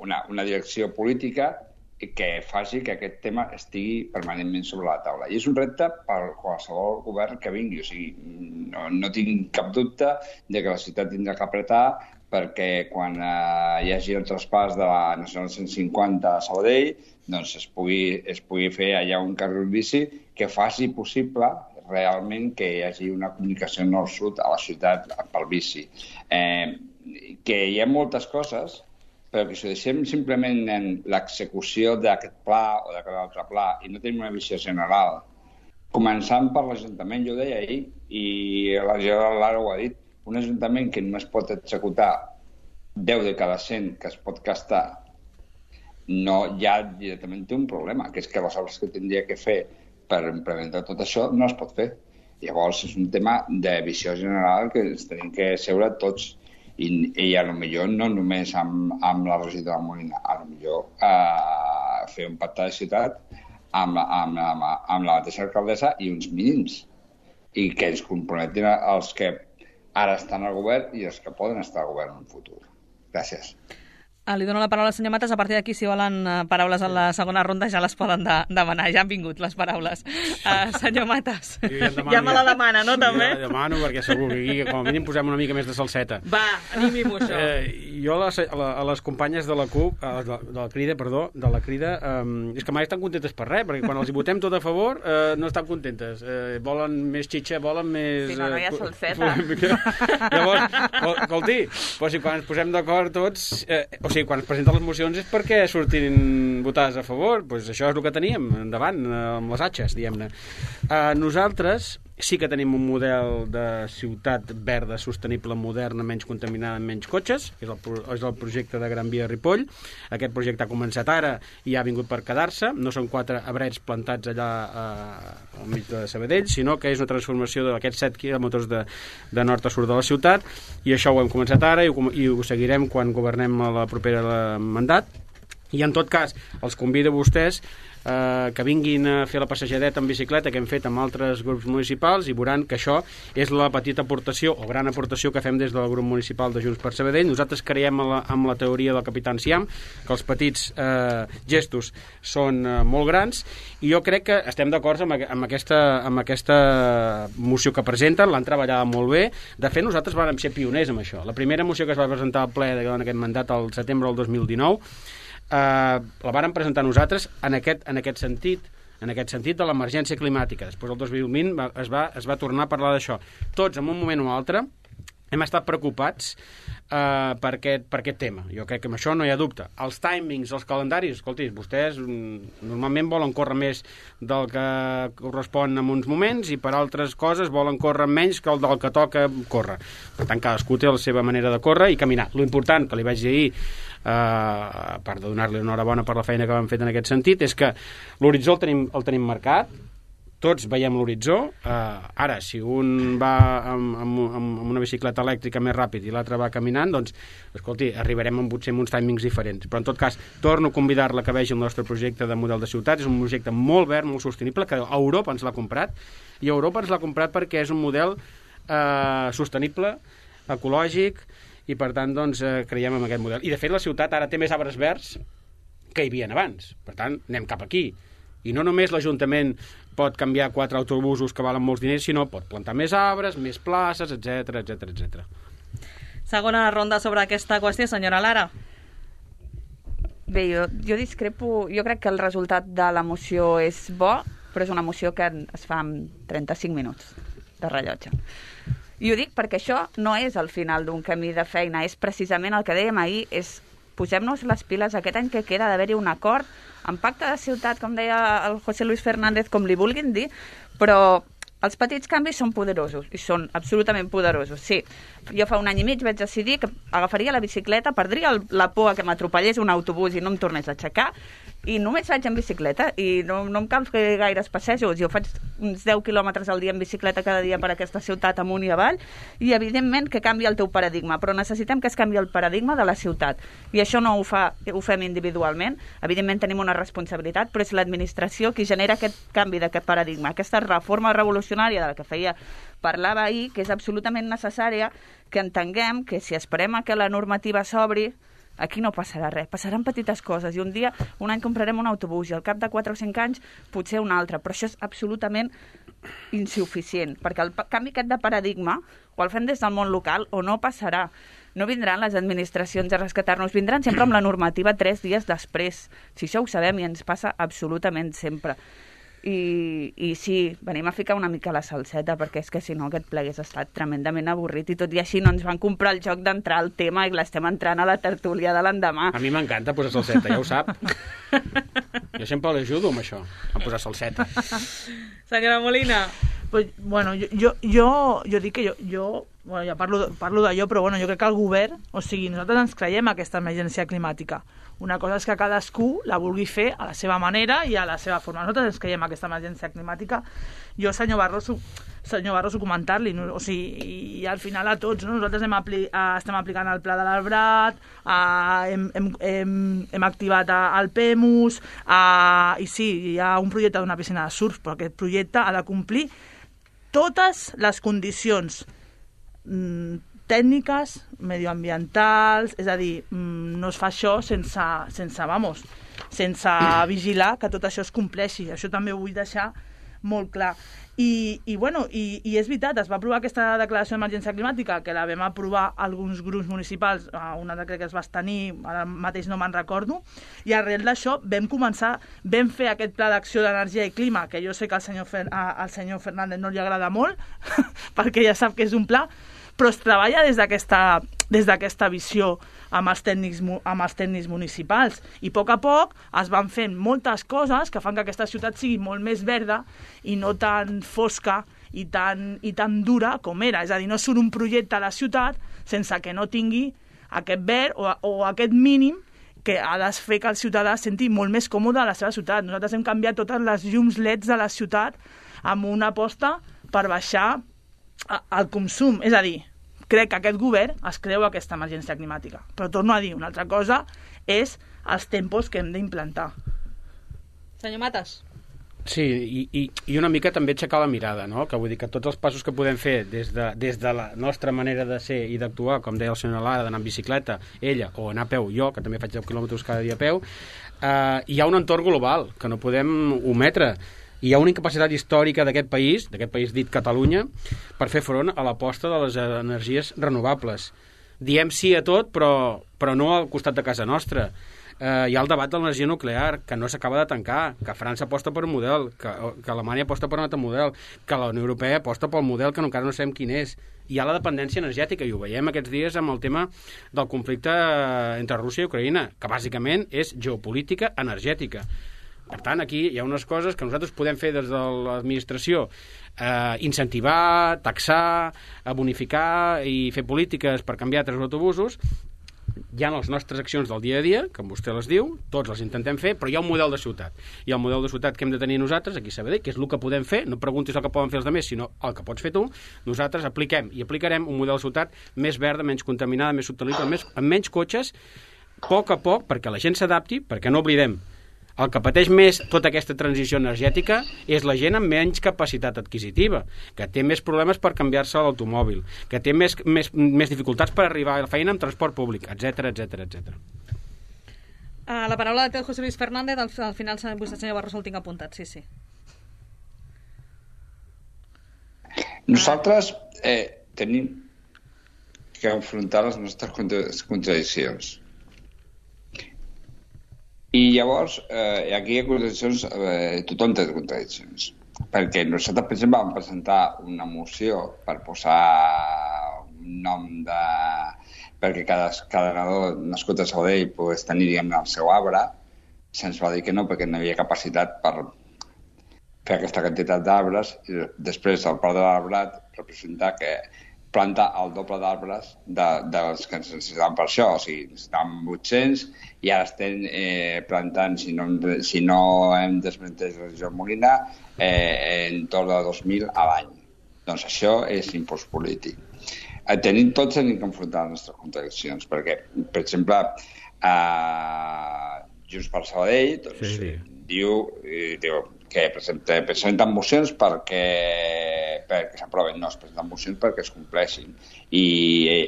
una, una direcció política que faci que aquest tema estigui permanentment sobre la taula. I és un repte per qualsevol govern que vingui. O sigui, no, no tinc cap dubte de que la ciutat tindrà que apretar perquè quan eh, hi hagi el traspàs de la Nacional cent cinquanta a Sabadell, doncs es pugui, es pugui fer allà un carril bici que faci possible realment que hi hagi una comunicació nord-sud a la ciutat pel bici. Eh, que hi ha moltes coses, però que si ho deixem simplement en l'execució d'aquest pla o d'aquest altre pla i no tenim una visió general, començant per l'Ajuntament, jo ho deia ahir, i la Gerard Lara ho ha dit, un Ajuntament que només pot executar deu de cada cent que es pot gastar, no, ja directament té un problema, que és que les obres que tindria que fer per implementar tot això no es pot fer. Llavors és un tema de visió general que ens tenim que seure tots. I, i a lo millor no només amb, amb la regidora Molina, a lo millor eh, fer un pacte de ciutat amb, amb, amb, amb la mateixa alcaldessa i uns mínims, i que ens comprometin els que ara estan al govern i els que poden estar al govern en un futur. Gràcies. Ah, li dono la paraula al senyor Matas. A partir d'aquí, si volen uh, paraules a la segona ronda, ja les poden de demanar. Ja han vingut les paraules. Uh, senyor Matas, ja, demano, ja me la demana, no, també? Ja la demano, perquè segur que aquí, com a mínim, posem una mica més de salseta. Va, animi-m'ho, això. Eh, jo a les, a, la, a les companyes de la CUP, a, de, de la Crida, perdó, de la Crida, eh, és que mai estan contentes per res, perquè quan els hi votem tot a favor, eh, no estan contentes. Eh, volen més xitxa, volen més... Si no, no hi ha salseta. Eh, Llavors, escolti, però si quan ens posem d'acord tots... Eh, o sigui, quan es presenten les mocions és perquè surtin votades a favor, doncs això és el que teníem endavant, amb les atxes, diguem-ne. Eh, nosaltres sí que tenim un model de ciutat verda, sostenible, moderna, menys contaminada, amb menys cotxes, que és el, és el projecte de Gran Via Ripoll. Aquest projecte ha començat ara i ha vingut per quedar-se. No són quatre arbrets plantats allà eh, al mig de Sabadell, sinó que és una transformació d'aquests set quilòmetres de, de nord a sud de la ciutat, i això ho hem començat ara i ho, i ho seguirem quan governem a la propera mandat. I en tot cas, els convido a vostès eh, que vinguin a fer la passejadeta en bicicleta que hem fet amb altres grups municipals i veuran que això és la petita aportació o gran aportació que fem des del grup municipal de Junts per Sabadell. Nosaltres creiem en la, en la teoria del Capità Enciam, que els petits eh, gestos són eh, molt grans, i jo crec que estem d'acord amb, amb, aquesta, amb aquesta moció que presenten, l'han treballat molt bé. De fet, nosaltres vam ser pioners amb això. La primera moció que es va presentar al ple en aquest mandat al setembre del dos mil dinou Uh, la vàrem presentar nosaltres en aquest, en aquest sentit, en aquest sentit de l'emergència climàtica. Després, el dos mil vint, va, es, va, es va tornar a parlar d'això. Tots, en un moment o altre, hem estat preocupats uh, per, aquest, per aquest tema. Jo crec que amb això no hi ha dubte. Els timings, els calendaris, escolti, vostès mm, normalment volen córrer més del que correspon en uns moments i per altres coses volen córrer menys que el del que toca córrer. Per tant, cadascú té la seva manera de córrer i caminar. Lo important, que li vaig dir ahir, Uh, a part de donar-li enhorabona per la feina que vam fet en aquest sentit, és que l'horitzó el tenim, el tenim marcat, tots veiem l'horitzó. Uh, ara, si un va amb, amb, amb una bicicleta elèctrica més ràpid i l'altre va caminant, doncs, escolti, arribarem amb, potser amb uns timings diferents. Però, en tot cas, torno a convidar-la que vegi el nostre projecte de model de ciutat. És un projecte molt verd, molt sostenible, que Europa ens l'ha comprat, i Europa ens l'ha comprat perquè és un model uh, sostenible, ecològic, i per tant doncs, eh, creiem en aquest model. I de fet la ciutat ara té més arbres verds que hi havia abans. Per tant, anem cap aquí. I no només l'Ajuntament pot canviar quatre autobusos que valen molts diners, sinó pot plantar més arbres, més places, etcètera, etcètera, etcètera. Segona ronda sobre aquesta qüestió, senyora Lara. Bé, jo, jo discrepo. Jo crec que el resultat de la moció és bo, però és una moció que es fa en trenta-cinc minuts de rellotge. I ho dic perquè això no és el final d'un camí de feina, és precisament el que dèiem ahir, és posem-nos les piles aquest any que queda d'haver-hi un acord en pacte de ciutat, com deia el José Luis Fernández, com li vulguin dir, però els petits canvis són poderosos, i són absolutament poderosos. Sí, jo fa un any i mig vaig decidir que agafaria la bicicleta, perdria el, la por que m'atropellés un autobús i no em tornés a aixecar, i només vaig en bicicleta, i no, no em cal fer gaires passejos. Jo faig uns deu quilòmetres al dia en bicicleta cada dia per aquesta ciutat amunt i avall, i evidentment que canvia el teu paradigma, però necessitem que es canvi el paradigma de la ciutat, i això no ho, fa, ho fem individualment. Evidentment tenim una responsabilitat, però és l'administració qui genera aquest canvi d'aquest paradigma, aquesta reforma revolucionària de la que feia parlava ahir, que és absolutament necessària, que entenguem que si esperem a que la normativa s'obri, aquí no passarà res, passaran petites coses, i un dia, un any comprarem un autobús i al cap de quatre o cinc anys potser un altre, però això és absolutament insuficient, perquè el canvi aquest de paradigma o el fem des del món local o no passarà. No vindran les administracions a rescatar-nos, vindran sempre amb la normativa tres dies després, si això ho sabem i ens passa absolutament sempre. I, i sí, venim a ficar una mica la salseta, perquè és que si no aquest ple hagués estat tremendament avorrit, i tot i així no ens van comprar el joc d'entrar al tema i l'estem entrant a la tertúlia de l'endemà. A mi m'encanta posar salseta, ja ho sap. Jo sempre l'ajudo amb això, a posar salseta. Senyora Molina. Pues, bueno, jo, jo, jo, jo dic que jo, jo bueno, ja parlo, parlo d'allò, però bueno, jo crec que el govern, o sigui, nosaltres ens creiem aquesta emergència climàtica. Una cosa és que cadascú la vulgui fer a la seva manera i a la seva forma. Nosaltres ens creiem aquesta emergència climàtica. Jo, senyor Barroso, senyor Barroso, comentar-li, no? O sigui, i al final a tots, no? Nosaltres hem apli estem aplicant el pla de l'Arbrat, hem, hem, hem, hem activat el PEMUS, a, i sí, hi ha un projecte d'una piscina de surf, però aquest projecte ha de complir totes les condicions mm, tècniques, medioambientals, és a dir, no es fa això sense, sense, vamos, sense vigilar que tot això es compleixi. Això també ho vull deixar molt clar. I, i, bueno, i, i és veritat, es va aprovar aquesta declaració d'emergència climàtica, que la vam aprovar alguns grups municipals, una de crec que es va tenir, ara mateix no me'n recordo, i arrel d'això vam començar, vam fer aquest pla d'acció d'energia i clima, que jo sé que al senyor, Fer, al senyor Fernández no li agrada molt, perquè ja sap que és un pla, però es treballa des d'aquesta des d'aquesta visió amb els, tècnics, amb els tècnics municipals. I a poc a poc es van fent moltes coses que fan que aquesta ciutat sigui molt més verda i no tan fosca i tan, i tan dura com era. És a dir, no surt un projecte a la ciutat sense que no tingui aquest verd o, o aquest mínim que ha de fer que el ciutadà es senti molt més còmode a la seva ciutat. Nosaltres hem canviat totes les llums L E Ds de la ciutat amb una aposta per baixar el consum. És a dir, crec que aquest govern es creu aquesta emergència climàtica. Però torno a dir, una altra cosa és els tempos que hem d'implantar. Senyor Matas. Sí, i, i, i una mica també aixecar la mirada, no? Que vull dir que tots els passos que podem fer des de, des de la nostra manera de ser i d'actuar, com deia el senyor Lara, d'anar en bicicleta, ella, o anar a peu, jo, que també faig deu quilòmetres cada dia a peu, eh, hi ha un entorn global que no podem ometre. Hi ha una incapacitat històrica d'aquest país, d'aquest país dit Catalunya, per fer front a l'aposta de les energies renovables. Diem sí a tot, però, però no al costat de casa nostra. Eh, hi ha el debat de l'energia nuclear, que no s'acaba de tancar, que França aposta per un model, que, que Alemanya aposta per un altre model, que la Unió Europea aposta pel model que encara no sabem quin és. Hi ha la dependència energètica, i ho veiem aquests dies amb el tema del conflicte entre Rússia i Ucraïna, que bàsicament és geopolítica energètica. Per tant, aquí hi ha unes coses que nosaltres podem fer des de l'administració, eh, incentivar, taxar, bonificar i fer polítiques per canviar tres autobusos. Hi ha les nostres accions del dia a dia, com vostè les diu, tots les intentem fer, però hi ha un model de ciutat. Hi ha un model de ciutat que hem de tenir nosaltres, aquí a Sabadell, que és el que podem fer, no preguntis el que poden fer els altres, sinó el que pots fer tu. Nosaltres apliquem i aplicarem un model de ciutat més verda, menys contaminada, més sostenible, més, amb menys cotxes, a poc a poc, perquè la gent s'adapti, perquè no oblidem, el que pateix més tota aquesta transició energètica és la gent amb menys capacitat adquisitiva, que té més problemes per canviar-se a l'automòbil, que té més, més, més dificultats per arribar a la feina amb transport públic, etcètera, etcètera, etcètera. Uh, la paraula té el José Luis Fernández, al, al final vostè, senyor Barroso, el tinc apuntat, sí, sí. Nosaltres eh, tenim que enfrontar les nostres contradiccions. I llavors, eh, aquí hi ha contradiccions, eh, tothom té contradiccions. Perquè nosaltres, per exemple, vam presentar una moció per posar un nom de... perquè cada, cada nadó nascut a Sabadell pogués tenir, diguem-ne, el seu arbre. Se'ns va dir que no, perquè no hi havia capacitat per fer aquesta quantitat d'arbres. I després, el Pla de l'Arbrat representa que planta el doble d'arbres de, dels que necessitaven per això. O sigui, necessitaven vuit-cents i ara estem eh, plantant, si no, si no hem desmentès la regió Molina, eh, en torn de dos mil a l'any. Doncs això és impuls polític. Eh, tenim tots tenim que enfrontar les nostres contradiccions, perquè, per exemple, eh, Junts per Sabadell doncs, sí, sí. Diu, eh, diu que presenten mocions perquè, perquè s'aproven, no, es presenten mocions perquè es compleixin. I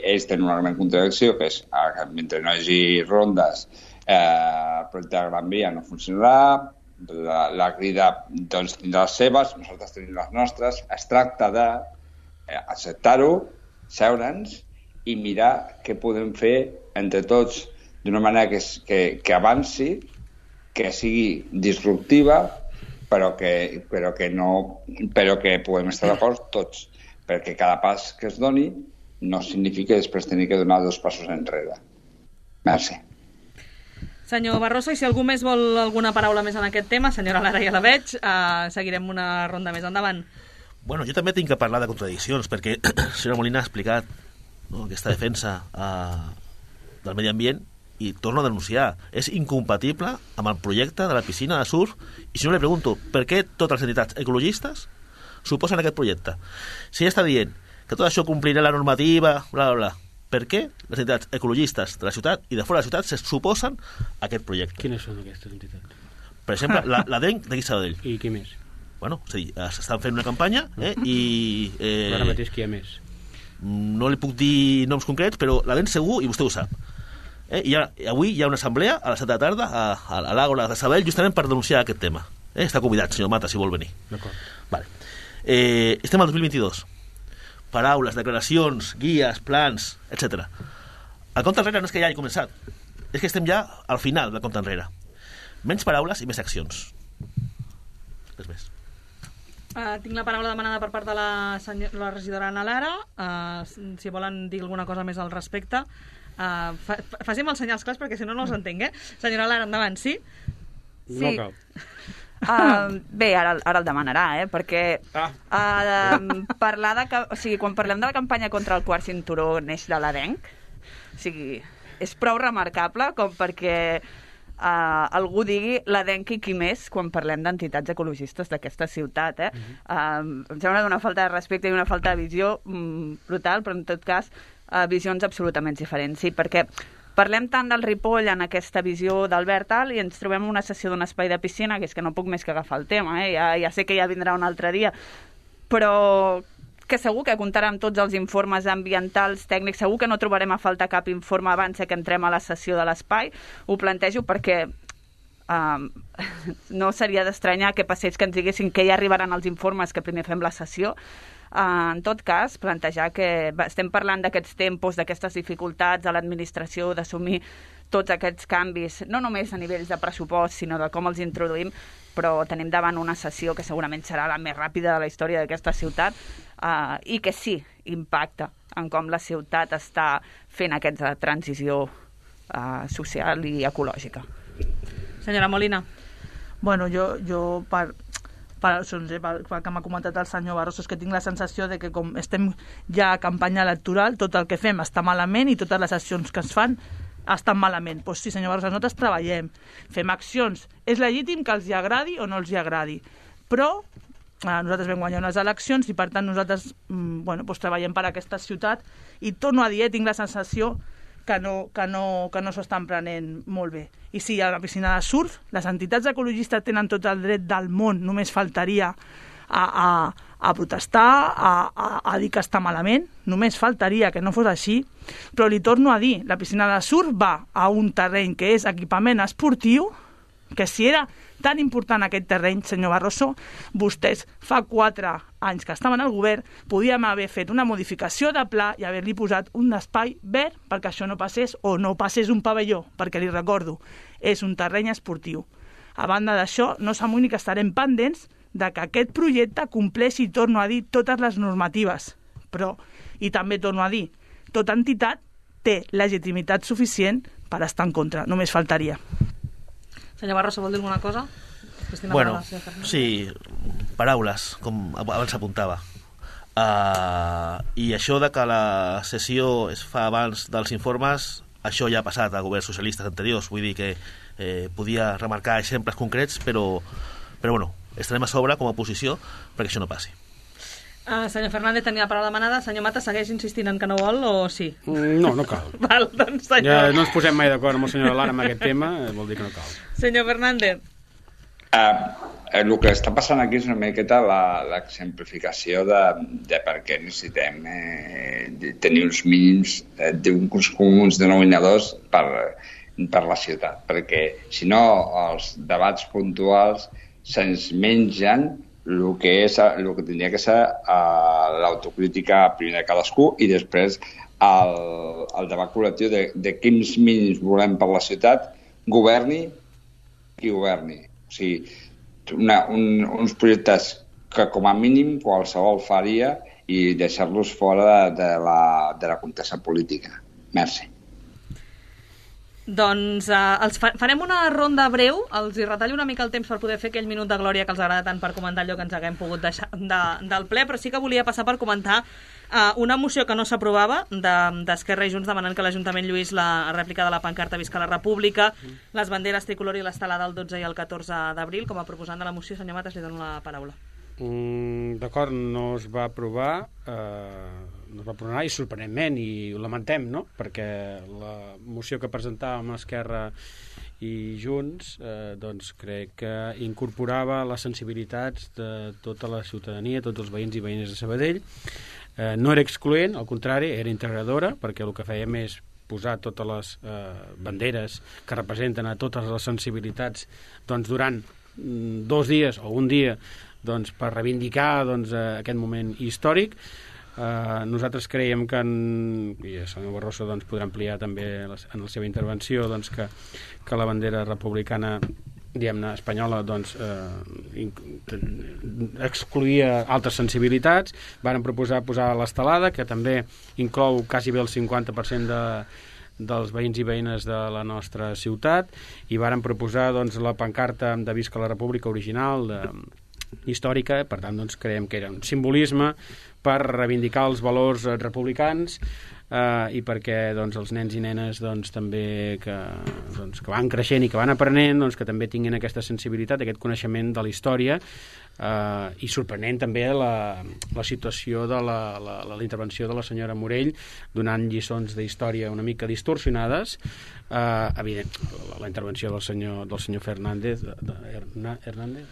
ells tenen una gran contradicció, que és que mentre no hi hagi rondes, eh, el projecte de Gran Via no funcionarà, la, la crida doncs, tindrà les seves, nosaltres tenim les nostres. Es tracta d'acceptar-ho, seure'ns i mirar què podem fer entre tots d'una manera que, que, que avanci, que sigui disruptiva, però que, però que no, però que podem estar d'acord tots, perquè cada pas que es doni no significa després tenir que donar dos passos enrere. Merci. Senyor Barroso, i si algú més vol alguna paraula més en aquest tema, senyora Lara, ja la veig, uh, seguirem una ronda més endavant. Bueno, jo també tinc que parlar de contradiccions, perquè la senyora Molina ha explicat, no, aquesta defensa uh, del medi ambient, i torno a denunciar, és incompatible amb el projecte de la piscina de surf. I si no, li pregunto, per què totes les entitats ecologistes suposen aquest projecte? Si ja està dient que tot això complirà la normativa, bla, bla, bla, per què les entitats ecologistes de la ciutat i de fora de la ciutat se suposen a aquest projecte? Quines són aquestes entitats? Per exemple, la, la D E N d'aquí Sabadell. I qui més? Bueno, és a dir, s'estan fent una campanya, eh, i... Eh... Ara mateix qui hi ha més? no li puc dir noms concrets, però la ben segur, i vostè ho sap. Eh? I ha, avui hi ha una assemblea a les set de la tarda a, a, a l'Àgora de Sabadell justament per denunciar aquest tema. Eh? Està convidat, senyor Mata, si vol venir. D'acord. Vale. Eh, estem al dos mil vint-i-dos. Paraules, declaracions, guies, plans, etcètera. El compte enrere no és que ja hagi començat, és que estem ja al final del compte enrere. Menys paraules i més accions. Res més. Uh, tinc la paraula demanada per part de la, senyor, la regidora Ana Lara. Uh, si volen dir alguna cosa més al respecte, uh, fa, facin els senyals clars perquè si no no els entenc, eh? Senyora Lara, endavant, sí? Sí. No cal. Uh, bé, ara, ara el demanarà, eh? Perquè Ah. uh, parlar de... O sigui, quan parlem de la campanya contra el quart cinturó neix de l'Adenc, o sigui, és prou remarcable com perquè uh, algú digui l'Adenc i qui més quan parlem d'entitats ecologistes d'aquesta ciutat, eh? Uh-huh. uh, em sembla d'una falta de respecte i una falta de visió mm, brutal, però en tot cas uh, visions absolutament diferents. Sí, perquè parlem tant del Ripoll en aquesta visió d'Albert Alt i ens trobem en una sessió d'un espai de piscina, que és que no puc més que agafar el tema, eh? ja, ja sé que ja vindrà un altre dia, però que segur que comptarà amb tots els informes ambientals, tècnics, segur que no trobarem a falta cap informe abans que entrem a la sessió de l'espai. Ho plantejo perquè um, no seria d'estranyar que passés que ens diguessin que ja arribaran els informes que primer fem la sessió. Uh, en tot cas, plantejar que estem parlant d'aquests tempos, d'aquestes dificultats de l'administració, d'assumir tots aquests canvis, no només a nivells de pressupost, sinó de com els introduïm, però tenim davant una sessió que segurament serà la més ràpida de la història d'aquesta ciutat uh, i que sí, impacta en com la ciutat està fent aquesta transició uh, social i ecològica. Senyora Molina. Bueno, jo, jo per, per, per, per que m'ha comentat el senyor Barroso, és que tinc la sensació de que com estem ja a campanya electoral, tot el que fem està malament i totes les accions que es fan estan malament. Doncs sí, senyor Barroso, nosaltres treballem, fem accions. És legítim que els hi agradi o no els hi agradi, però eh, nosaltres vam guanyar unes eleccions i per tant nosaltres mm, bueno, doncs treballem per aquesta ciutat i torno a dir, eh, tinc la sensació que no, que no, que no s'ho estan prenent molt bé. I sí, a la piscina de surf, les entitats ecologistes tenen tot el dret del món, només faltaria a, a, a protestar, a, a, a dir que està malament, només faltaria que no fos així, però li torno a dir, la piscina de surf va a un terreny que és equipament esportiu, que si era tan important aquest terreny, senyor Barroso, vostès fa quatre anys que estaven al govern, podíem haver fet una modificació de pla i haver-li posat un espai verd perquè això no passés, o no passés un pavelló, perquè li recordo, és un terreny esportiu. A banda d'això, no s'amoïni que estarem pendents de que aquest projecte compleixi, torno a dir, totes les normatives. Però, i també torno a dir, tota entitat té legitimitat suficient per estar en contra, només faltaria. Senyor Barroso, vol dir alguna cosa? Cristina, Bueno, paraula, sí, paraules, com abans apuntava. Uh, I això de que la sessió es fa abans dels informes, això ja ha passat a governs socialistes anteriors, vull dir que eh, podia remarcar exemples concrets, però, però bueno, estarem a sobre com a oposició perquè això no passi. Uh, senyor Fernández tenia la paraula demanada. Senyor Mata segueix insistint en que no vol o sí? No, no cal. Val, doncs senyor... Ja no ens posem mai d'acord amb el senyor Lara en aquest tema, vol dir que no cal. Senyor Fernández. Uh, el que està passant aquí és una miqueta l'exemplificació de, de per què necessitem eh, de tenir uns mínims eh, d'uns comuns denominadors per, per la ciutat, perquè si no els debats puntuals se'ns mengen el que, és, el que tindria que ser uh, l'autocrítica primer de cadascú i després el, el debat col·lectiu de, de quins mínims volem per la ciutat, governi qui governi. O sigui, una, un, uns projectes que com a mínim qualsevol faria i deixar-los fora de, de, la, de la contesa política. Merci. Doncs eh, els fa farem una ronda breu, els hi retallo una mica el temps per poder fer aquell minut de glòria que els agrada tant per comentar allò que ens haguem pogut deixar de, del ple, però sí que volia passar per comentar eh, una moció que no s'aprovava d'Esquerra i Junts demanant que l'Ajuntament lluís la rèplica de la pancarta Visca la República, les banderes tricolor i l'estelada el dotze i el catorze d'abril. Com a proposant de la moció, senyor Matas, li dono la paraula. Mm, D'acord, no es va aprovar, eh, no es va aprovar i sorprenentment, i ho lamentem, no? Perquè la moció que presentàvem a Esquerra i Junts eh, doncs crec que incorporava les sensibilitats de tota la ciutadania, tots els veïns i veïnes de Sabadell, eh, no era excloent, al contrari, era integradora, perquè el que fèiem és posar totes les eh, banderes que representen a totes les sensibilitats doncs, durant mm, dos dies o un dia doncs, per reivindicar doncs, eh, aquest moment històric. Eh, nosaltres creiem que en, i el senyor Barroso doncs, podrà ampliar també les, en la seva intervenció doncs, que, que la bandera republicana diguem-ne espanyola doncs, eh, excluïa altres sensibilitats. Varen proposar posar l'estelada, que també inclou quasi bé el cinquanta per cent de, dels veïns i veïnes de la nostra ciutat, i varen proposar doncs, la pancarta de Visca la República original de, històrica. Per tant, doncs, creiem que era un simbolisme per reivindicar els valors republicans eh, i perquè doncs, els nens i nenes doncs, també que, doncs, que van creixent i que van aprenent doncs, que també tinguin aquesta sensibilitat, aquest coneixement de la història. Uh, i sorprenent també la, la situació de la, la, la, la intervenció de la senyora Morell donant lliçons d'història una mica distorsionades. Uh, evident, la, la intervenció del senyor, del senyor Fernández de, de, Herna, Hernández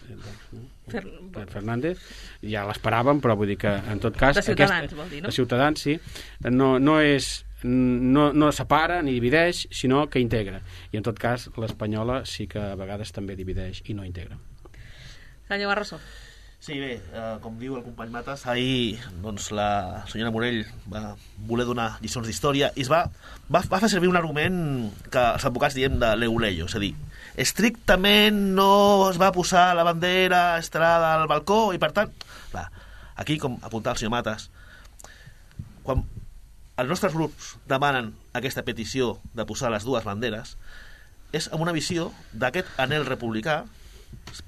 no? Fer, Fernández ja l'esperàvem, però vull dir que en tot cas de Ciutadans, aquesta, vol dir, no? De Ciutadans, sí, no, no és no, no separa ni divideix, sinó que integra, i en tot cas l'espanyola sí que a vegades també divideix i no integra. Senyor Barroso. Sí, bé, eh, com diu el company Matas, ahir doncs, la senyora Morell va voler donar lliçons d'història i es va, va, va fer servir un argument que els advocats diem de l'euleio, és a dir, estrictament no es va posar la bandera estelada al balcó i per tant, clar, aquí com apuntava el senyor Matas, quan els nostres grups demanen aquesta petició de posar les dues banderes és amb una visió d'aquest anhel republicà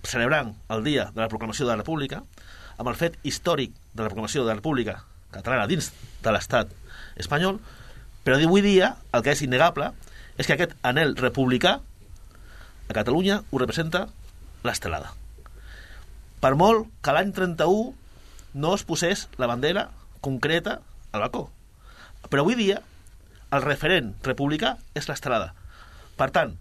celebrant el dia de la proclamació de la República, amb el fet històric de la proclamació de la República catalana dins de l'estat espanyol, però avui dia el que és innegable és que aquest anhel republicà a Catalunya ho representa l'estelada. Per molt que l'any trenta-u no es posés la bandera concreta al balcó, però avui dia el referent republicà és l'estelada. Per tant,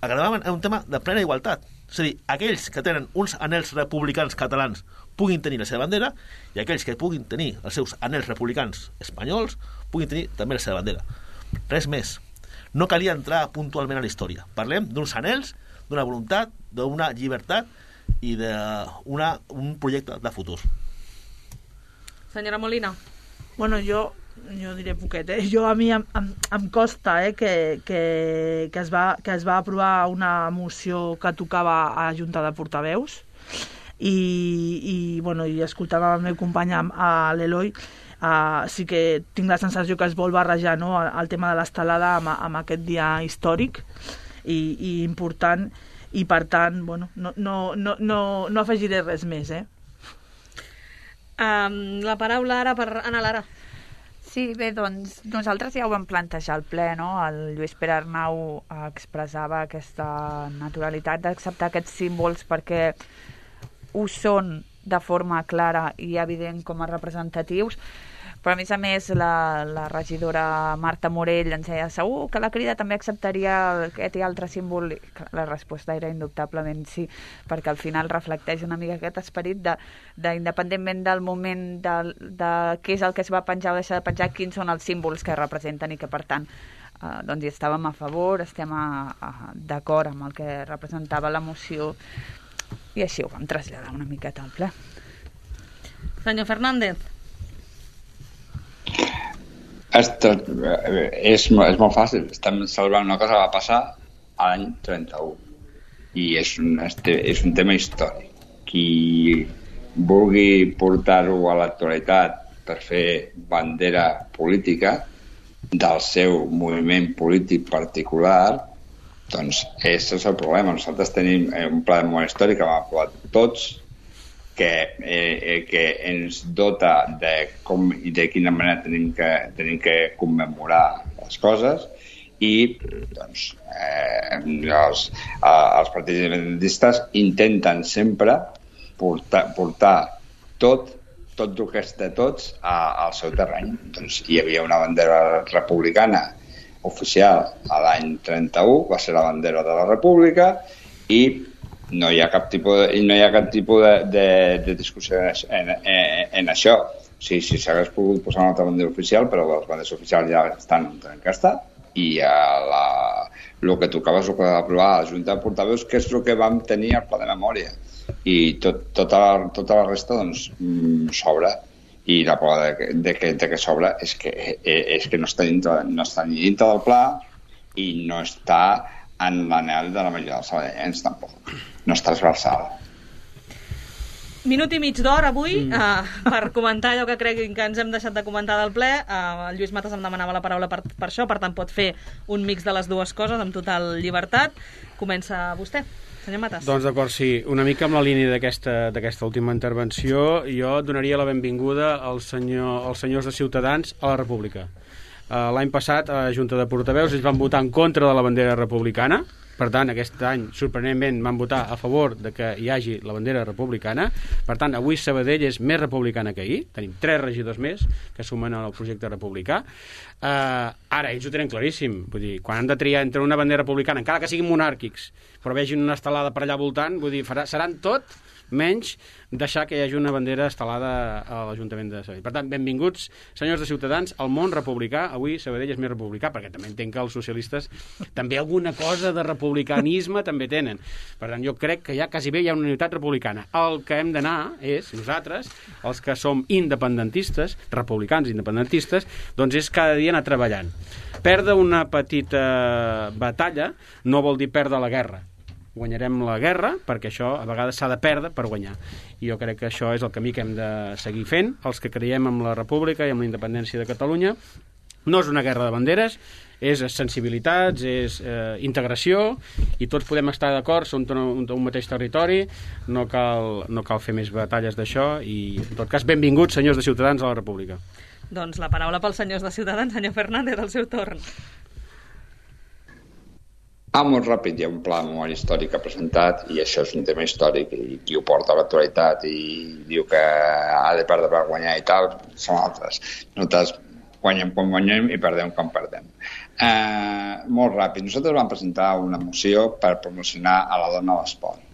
acabem en un tema de plena igualtat. És a dir, aquells que tenen uns anhels republicans catalans puguin tenir la seva bandera i aquells que puguin tenir els seus anhels republicans espanyols puguin tenir també la seva bandera. Res més. No calia entrar puntualment a la història. Parlem d'uns anhels, d'una voluntat, d'una llibertat i d'un projecte de futur. Senyora Molina. Bueno, jo jo diré poquet, eh? Jo a mi em, em, em costa eh, que, que, que, es va, que es va aprovar una moció que tocava a la Junta de Portaveus i, i, bueno, i escoltant el meu company, a l'Eloi, uh, sí que tinc la sensació que es vol barrejar, no?, el tema de l'estelada amb, amb aquest dia històric i, i important, i per tant, bueno, no, no, no, no, no afegiré res més, eh? Um, la paraula ara per Anna Lara. Sí, bé, doncs nosaltres ja ho vam plantejar al ple, no? El Lluís Pere Arnau expressava aquesta naturalitat d'acceptar aquests símbols perquè ho són de forma clara i evident com a representatius, però a més a més la, la regidora Marta Morell ens deia segur que la Crida també acceptaria aquest i altre símbol. La resposta era indubtablement sí, perquè al final reflecteix una mica aquest esperit de, de independentment del moment de, de què és el que es va penjar o deixar de penjar, quins són els símbols que representen i que per tant eh, doncs hi estàvem a favor, estem a, a, d'acord amb el que representava la moció i així ho vam traslladar una miqueta al ple. Senyor Fernández. Esto, és, és molt fàcil. Estem celebrant una cosa que va passar a l'any trenta-u i és un, és un tema històric. Qui vulgui portar-ho a l'actualitat per fer bandera política del seu moviment polític particular, doncs és el problema. Nosaltres tenim un pla de memòria històrica que vam aprovar tots, que, eh, que ens dota de com i de quina manera tenim que, tenim que commemorar les coses i doncs, eh, els, els partits independentistes intenten sempre portar, portar tot, tot el que és de tots a, al seu terreny. Doncs hi havia una bandera republicana oficial a l'any trenta-u, va ser la bandera de la República i no hi ha cap tipus de, no hi ha cap tipus de, de, de discussió en, en, en això. O Sí, sí, s'hagués pogut posar una altra bandera oficial, però les banderes oficials ja estan en casta i uh, la, el que tocava és el que va aprovar la Junta de Portaveus, que és el que vam tenir al pla de memòria. I tot, tota, la, tota la resta doncs, mm, sobra. I la prova de, de, que, de que sobra és que, és que no, està dintre, no està ni dintre del pla i no està en l'anel de la majoria dels sabadellencs tampoc. No és transversal. Minut i mig d'hora avui mm. uh, per comentar allò que creguin que ens hem deixat de comentar del ple. Uh, el Lluís Matas em demanava la paraula per, per això, per tant pot fer un mix de les dues coses amb total llibertat. Comença vostè, senyor Matas. Doncs d'acord, sí. Una mica amb la línia d'aquesta d'aquesta última intervenció, jo donaria la benvinguda als, senyor, als senyors de Ciutadans a la República. Uh, L'any passat a la Junta de Portaveus ells van votar en contra de la bandera republicana. Per tant, aquest any, sorprenentment, van votar a favor de que hi hagi la bandera republicana. Per tant, avui Sabadell és més republicana que ahir. Tenim tres regidors més que sumen al projecte republicà. Uh, ara, ells ho tenen claríssim. Vull dir, quan han de triar entre una bandera republicana, encara que siguin monàrquics, però vegin una estelada per allà voltant, vull dir, farà, seran tot menys deixar que hi hagi una bandera estelada a l'Ajuntament de Sabadell. Per tant, benvinguts, senyors de Ciutadans, al món republicà. Avui Sabadell és més republicà, perquè també entenc que els socialistes també alguna cosa de republicanisme també tenen. Per tant, jo crec que ja quasi bé hi ha una unitat republicana. El que hem d'anar és, nosaltres, els que som independentistes, republicans independentistes, doncs és cada dia anar treballant. Perdre una petita batalla no vol dir perdre la guerra. Guanyarem la guerra, perquè això a vegades s'ha de perdre per guanyar. I jo crec que això és el camí que hem de seguir fent, els que creiem en la república i en la independència de Catalunya. No és una guerra de banderes, és sensibilitats, és eh, integració, i tots podem estar d'acord, som un, un mateix territori, no cal, no cal fer més batalles d'això, i en tot cas, benvinguts, senyors de Ciutadans, a la república. Doncs la paraula pels senyors de Ciutadans, senyor Fernández, al seu torn. Ah, molt ràpid, hi ha un pla de memòria històrica presentat i això és un tema històric i qui ho porta a l'actualitat i diu que ha de perdre per guanyar i tal, són altres. Nosaltres guanyem quan guanyem i perdem quan perdem. Eh, molt ràpid, nosaltres vam presentar una moció per promocionar a la dona a l'esport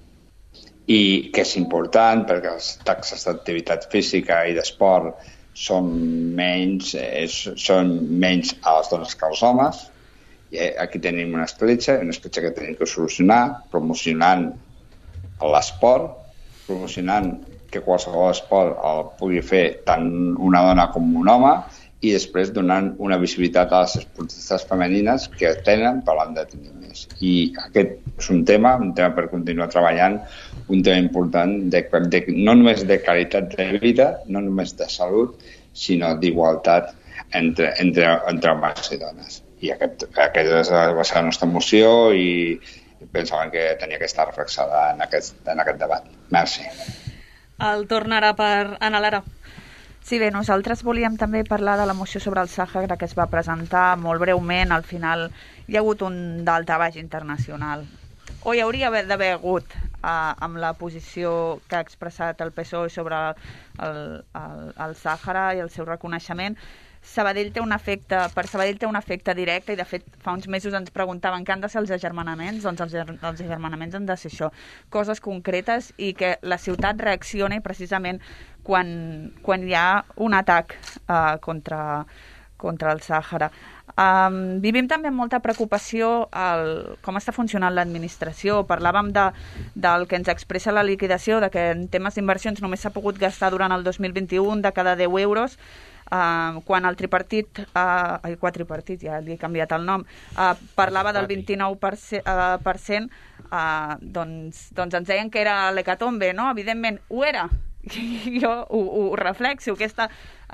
i que és important perquè les taxes d'activitat física i d'esport són menys, eh, són menys a les dones que als homes. I aquí tenim una escletxa, una escletxa que tenim que solucionar, promocionant l'esport, promocionant que qualsevol esport el pugui fer tant una dona com un home i després donant una visibilitat a les esportistes femenines que tenen per l'han de tenir més. I aquest és un tema, un tema per continuar treballant, un tema important de, de, no només de qualitat de vida, no només de salut, sinó d'igualtat entre, entre, entre homes i dones. I aquest, aquest va ser la nostra moció i pensàvem que tenia que estar reflexada en aquest, en aquest debat. Merci. El torn ara per Ana Lara. Sí, bé, nosaltres volíem també parlar de la moció sobre el Sàhara que es va presentar molt breument. Al final hi ha hagut un daltabaix internacional. O hi hauria d'haver hagut eh, amb la posició que ha expressat el P S O E sobre el, el, el Sàhara i el seu reconeixement. Sabadell té un efecte, per Sabadell té un efecte directe i de fet fa uns mesos ens preguntaven què han de ser els agermanaments, doncs els, els agermanaments han de ser això, coses concretes i que la ciutat reaccioni precisament quan, quan hi ha un atac uh, contra, contra el Sàhara. Um, vivim també amb molta preocupació el, com està funcionant l'administració. Parlàvem de, del que ens expressa la liquidació, de que en temes d'inversions només s'ha pogut gastar durant el dos mil vint-i-u de cada deu euros, Uh, quan el tripartit, uh, el quadripartit, ja li he canviat el nom, uh, parlava del vint-i-nou per cent, uh, per cent uh, doncs, doncs ens deien que era l'hecatombe, no? Evidentment, ho era. Jo ho, ho reflexo, aquesta,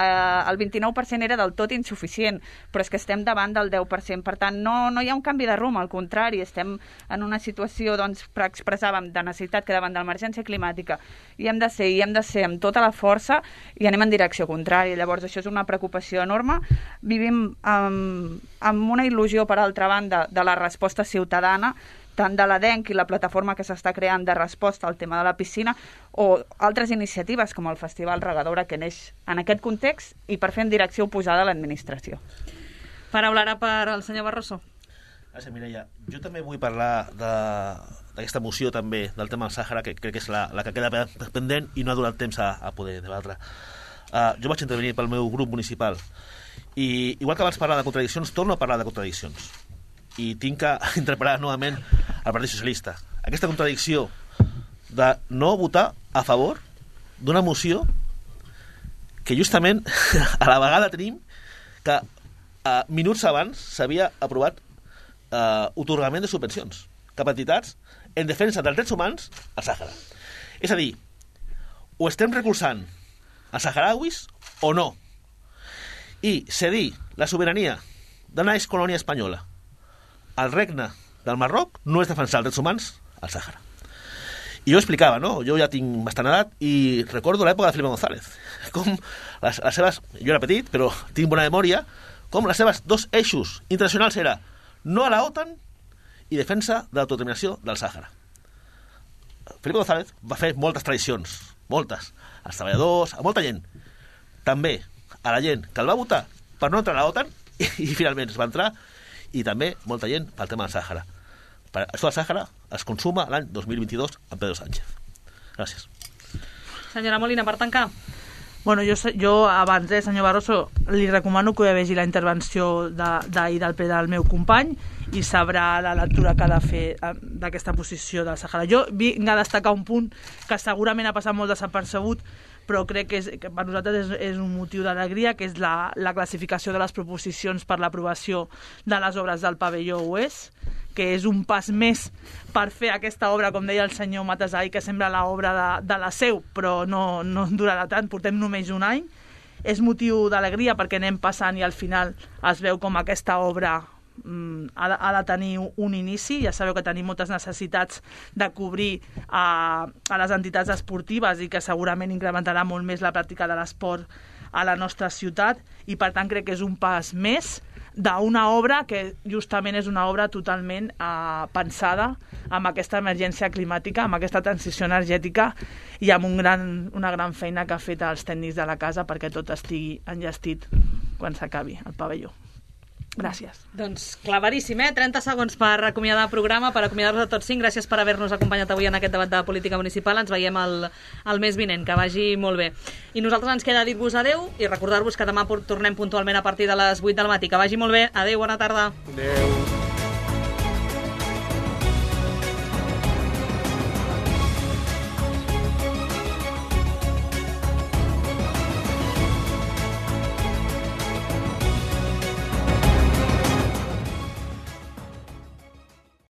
eh, el vint-i-nou per cent era del tot insuficient, però és que estem davant del deu per cent, per tant no, no hi ha un canvi de rumb, al contrari, estem en una situació, doncs, expressàvem, de necessitat que davant de l'emergència climàtica i hem de ser, i hem de ser amb tota la força i anem en direcció contrària. Llavors això és una preocupació enorme. Vivim amb, amb una il·lusió, per altra banda, de la resposta ciutadana, tant de l'Adenc i la plataforma que s'està creant de resposta al tema de la piscina o altres iniciatives com el Festival Regadora que neix en aquest context i per fer en direcció oposada a l'administració. Paraula ara per al senyor Barroso. Gràcies, Mireia. Jo també vull parlar d'aquesta moció també del tema del Sàhara, que crec que és la, la que queda pendent i no ha donat temps a, a poder debatre. Uh, jo vaig intervenir pel meu grup municipal i igual que abans parlar de contradiccions, torno a parlar de contradiccions i tinc que interpretar novament el Partit Socialista. Aquesta contradicció de no votar a favor d'una moció que justament a la vegada tenim que uh, minuts abans s'havia aprovat uh, otorgament de subvencions cap a entitats en defensa dels drets humans al Sàhara. És a dir, o estem recolzant els saharauis o no. I cedir la sobirania d'una excolònia espanyola al regne del Marroc no és defensar els drets humans al Sàhara. I jo explicava, no? Jo ja tinc bastant edat i recordo l'època de Felipe González. Com les, les seves... Jo era petit, però tinc bona memòria, com les seves dos eixos internacionals era no a la OTAN i defensa de l'autodeterminació del Sàhara. Felipe González va fer moltes tradicions, moltes, als treballadors, a molta gent. També a la gent que el va votar per no entrar a la OTAN i, i finalment es va entrar, i també molta gent pel tema del Sàhara. Per això del Sàhara es consuma l'any dos mil vint-i-dos amb Pedro Sánchez. Gràcies. Senyora Molina, per tancar. Bueno, jo, jo abans, eh, senyor Barroso, li recomano que vegi la intervenció d'ahir de, del ple del meu company i sabrà la lectura que ha de fer d'aquesta posició del Sàhara. Jo vinc a destacar un punt que segurament ha passat molt desapercebut, però crec que, és, que per nosaltres és, és un motiu d'alegria, que és la, la classificació de les proposicions per l'aprovació de les obres del pavelló oest, que és un pas més per fer aquesta obra, com deia el senyor Matasai, que sembla l'obra de, de la Seu, però no, no durarà tant, portem només un any. És motiu d'alegria perquè anem passant i al final es veu com aquesta obra mm, ha, de, ha de tenir un inici. Ja sabeu que tenim moltes necessitats de cobrir a, a les entitats esportives i que segurament incrementarà molt més la pràctica de l'esport a la nostra ciutat, i per tant crec que és un pas més d'una obra que justament és una obra totalment eh, pensada amb aquesta emergència climàtica, amb aquesta transició energètica i amb un gran, una gran feina que ha fet els tècnics de la casa perquè tot estigui enllestit quan s'acabi el pavelló. Gràcies. Doncs claveríssim, eh? trenta segons per acomiadar el programa, per acomiadar-vos a tots cinc. Gràcies per haver-nos acompanyat avui en aquest debat de política municipal. Ens veiem el, el mes vinent, que vagi molt bé. I nosaltres ens queda dir-vos adeu i recordar-vos que demà tornem puntualment a partir de les vuit del matí. Que vagi molt bé. Adeu, bona tarda. Adeu.